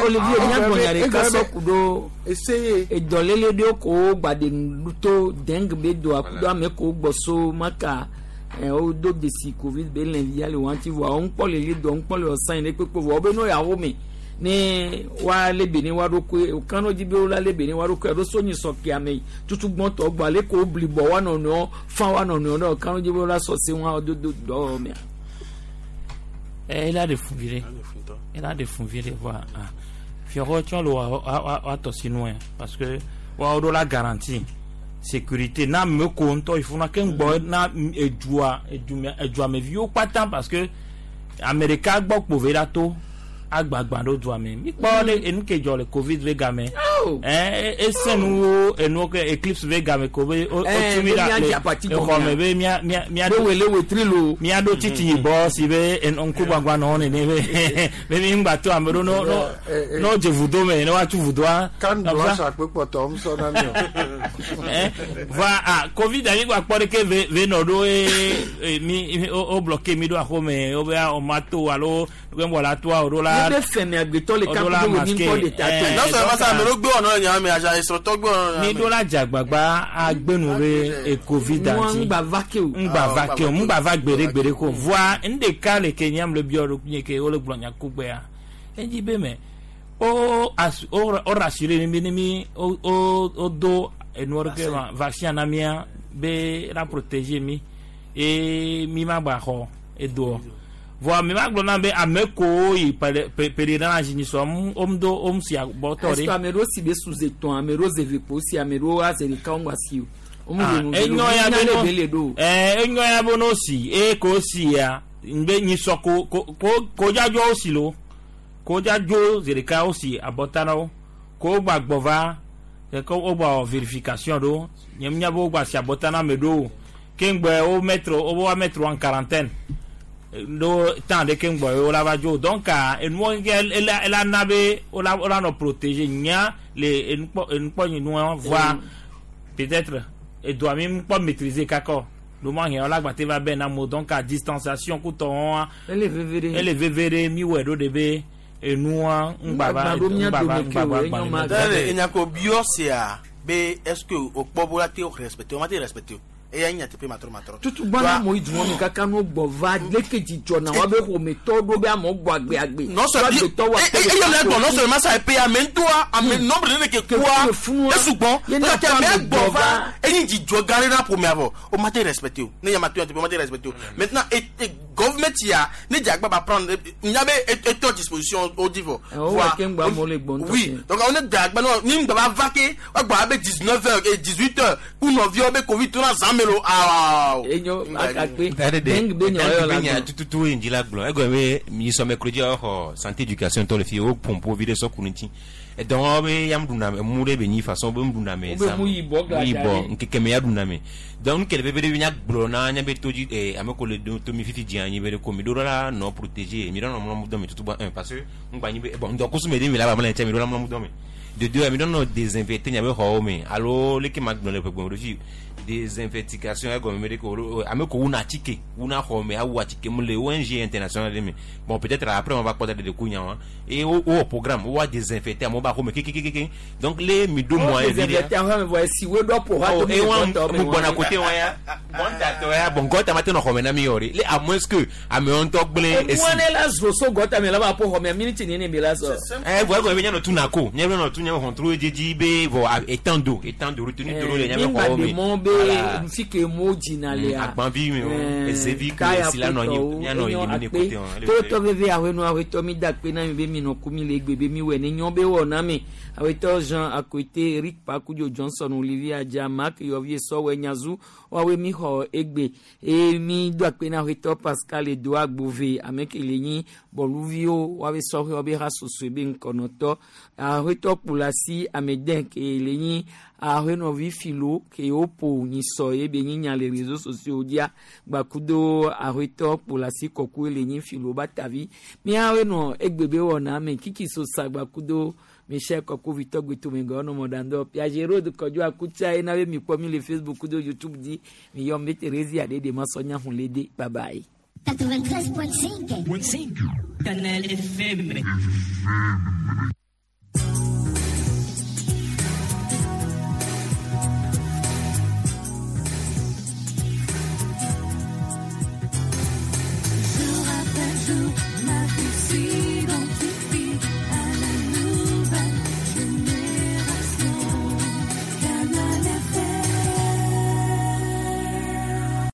Olivier miagbɔnya ɖeka sɔ ku ɖo edɔlele ɖewo ko gba ɖe nu to dengue be doa ku ɖo ame ko gbɔ so maka wodo desi covid be lɛnvia le wɔn ti vɔa wo ŋkpɔ le li dɔ ŋkpɔ le ɔsan yi ne kpekpe vɔ wo be no yawo me ne wa le be ne wa ɖo koe o kan dzi be wo la le be ne wa ɖo koe ɖo so nyi sɔ kia me tutu gbɔntɔ gbɔ ale ko bli bɔ wa nɔnɔewo fa wa nɔnɔewo ɖe o kan dzi be wo la sɔ se wa do do dɔ mea. Ela de fun vi ɖe ela de fun vi ɖe voa fiɔxɔ tsɔ le wa tɔ si nua parce que wa ɖo la garantie sécurité na ame ko ŋutɔ yi funa ke ŋgbɔ na edua eduameviwo kpata parce que ame ɖeka gbɔ kpo ve la to agbagba ɖo dua me mi kpɔ ɖe enu ke dzɔ le covid ve game ese nuwo enuwo ke eclipse ve game ko be o tu mi la le exɔ me be mia mia mia ɖo wele wetri lo mia ɖo titi yibɔ si be ŋku gbagba nɔ nene be be mi ŋgba to ame ɖo no no no dze vudo me ne woatu vudoa. Kan blanche akpe kpɔtɔ ŋusɔ na mi o. Va a covid anyi gba kpɔ ɖeke ve ve nɔ ɖo ye mi o bloqué mi ɖo axɔme wo be o ma to alo wo la toa o ɖo la. Ne be fɛmɛ agbetɔ le kapu do ni ŋkɔ de ta to. Non seulement ça, mais le gbé ọ̀nà yàn mí, àṣà ìsọ̀tọ̀ gbé ọ̀nà yàn mí. Mi ɖo la dzagbagba agbenu be covid anti. Ŋgba va ke o. Ŋgba va ke o, ŋgba va gbeɖe gbeɖe ko. Voa ŋɖeka le ke nyam le biɔ ɖo nye ke wole gblɔ nya kugbea. Edzi be me o o rassuré mi ne mi o o do enuwo ɖe ke ma vaccin na mía be la protéger mi eye mi ma gba xɔ edoɔ. Voa mi ma gblɔ na be ame kowo yi pèlerinage nyi sɔ om do om si agbɔtɔ ɖe. Est-ce que ame ɖewo si be su zetɔn ame ɖewo zeve kpo si ame ɖewo aze ɖeka wo ŋgba si o. Enyo ya be no enyo ya be no si eye ko si ya be nyi sɔ ko ko ko dzadzo wo si lo ko dzadzo ze ɖeka wo si abɔta na wo ko gba gbɔ va ko wo gba wɔ vérification ɖo nye mi nya be wo gba si abɔta na ame ɖewo ke ŋgbɛ wo mettre wo wa mettre en quarantaine. Do tan de ke ŋgbɔ wo la va dzo donc enuwo ke ela ela na be wo la wo la nɔ protéger nya le enukpɔ enukpɔ nyi nua voa peut-être edoa mi ŋkpɔ maîtriser kakɔ. Lo ma hɛn la gbate va bɛ na mo donc a distanciation kutɔ wɔn. Ele veve ɖe. Ele veve ɖe mi wɔ ɖo de be enua ŋgbava ŋgbava ŋgbava ŋgbava. Tẹ́lẹ̀ enyako biɔ sea be est ce que o kpɔ bo la te respecté o ma te respecté o eya nya teƒe matrɔ matrɔ. Tutu gbana mo yi dùn wọn mi kaka n'o gbɔ va leke dzidzɔ na wa be ƒometɔ ɖo be amewo gbɔ agbe agbe. Non seulement eye mi gbɔ non seulement ça epea ame ŋutɔa ame nombre de ne ke kua esugbɔ kake ame gbɔ va enyi dzidzɔ gã ɖe na ƒomea vɔ o ma te respecté o ne ya ma to ya teƒe o ma te respecté o maintenant et government ya ne dze agba ba prendre nya be etɔ disposition o di vɔ. Oui, donc on est dze agba ni ŋgbɛ ba va ke wa gbɔ abe 19 heures et 18 heures ku nɔviwo be covid to na zã me lo awɔ. Enyo akakpe dengue be nya yɔ la gbɔ. Tututu yi ŋdzi la gblɔ egɔme be mi sɔme klo dzi xɔ santé éducation tɔ le fi wo pompo vi ɖe sɔ ku ŋuti edɔn be ya ɖuna mu ɖe be nyi façon be ŋɖuna me zã mu yibɔ ŋkeke me ya ɖuna me donc nu kele veve ɖe nya gblɔ na nya be to dzi ame ko le do to mi fifi dzi anyi be ɖe ko mi ɖo la nɔ protéger mi ɖo nɔ mlɔmu dɔ me tutu bɔ un parce que ŋgba nyi be bon ŋdɔkusu me ɖe mi la ba mlɛ tsɛ mi ɖo la mlɔmu dɔ me de deux mi ɖo nɔ désinfecter nya be xɔwo me alo leke ma gblɔ le ƒe ɖo fi désinfectation egɔme me ɖe ko ame ko wuna atike wuna xɔ me awu atike mu le ONG international ɖe me bon peut-être après on va kpɔ da ɖe ku nya wa et wo wo programme wo wa désinfecter amewo ba xɔ me kekekeke donc le mi do moyen vi désinfecter xɔ me vɔ esi wo ɖɔ ƒo ha to mi gɔtɔ me mu gbɔna côté wa ya gɔta ya bon gɔta ma te nɔ xɔ me na mi yɔ de le à moins que amewo ŋutɔ gblẽ esi. Eŋua ne la zo so gɔta me la ba ƒo xɔ me miniti nene mi la sɔ. Ɛ vɔ egɔme be nya nɔ tu na ko nya be nɔ tu nya be hɔntru dzedzi be vɔ étang d'eau étang d'eau retenu d'eau le nya be xɔwo me. Mi ma ɖe mɔ be fi ke mo dzina lea. Agbanvi mi o ezevi ke esi la nɔ anyi mianɔ elimine kote wɔn. Totɔ veve awenu awetɔ mi da akpe na mi be mi nɔ ku mi le egbe be mi wɔ ne nyɔ be wɔ na mi awetɔ Jean Akote Eric Pakudzo Johnson Olivier Adja Mark Yɔvie Sɔwɛ Nyazu woawoe mi xɔ egbe eye mi do akpe na awetɔ Pascal Edo Agbove ame ke le nyi bɔluviwo woawoe sɔhɛwo be ha sosoe be ŋkɔnɔtɔ awetɔ Kplasi Ameden ke le nyi ahenɔvi filo ke woƒo nyisɔ ye be nyi nya le réseaux sociaux dzia gbakudo ahetɔ kplasi kɔkɔe le nyi filo batavi míawoe nɔ egbe be wɔna me kiki sosa gbakudo michel kɔkɔ vitɔ gbetome gɔ nɔ mɔdandɔ piaget road kɔdzo akutsa ye na be mikpɔ mi le facebook kudo youtube dzi miyɔ mi Thérésia ɖe de masɔ nya hun le de bye bye. 93.5 Canal FM.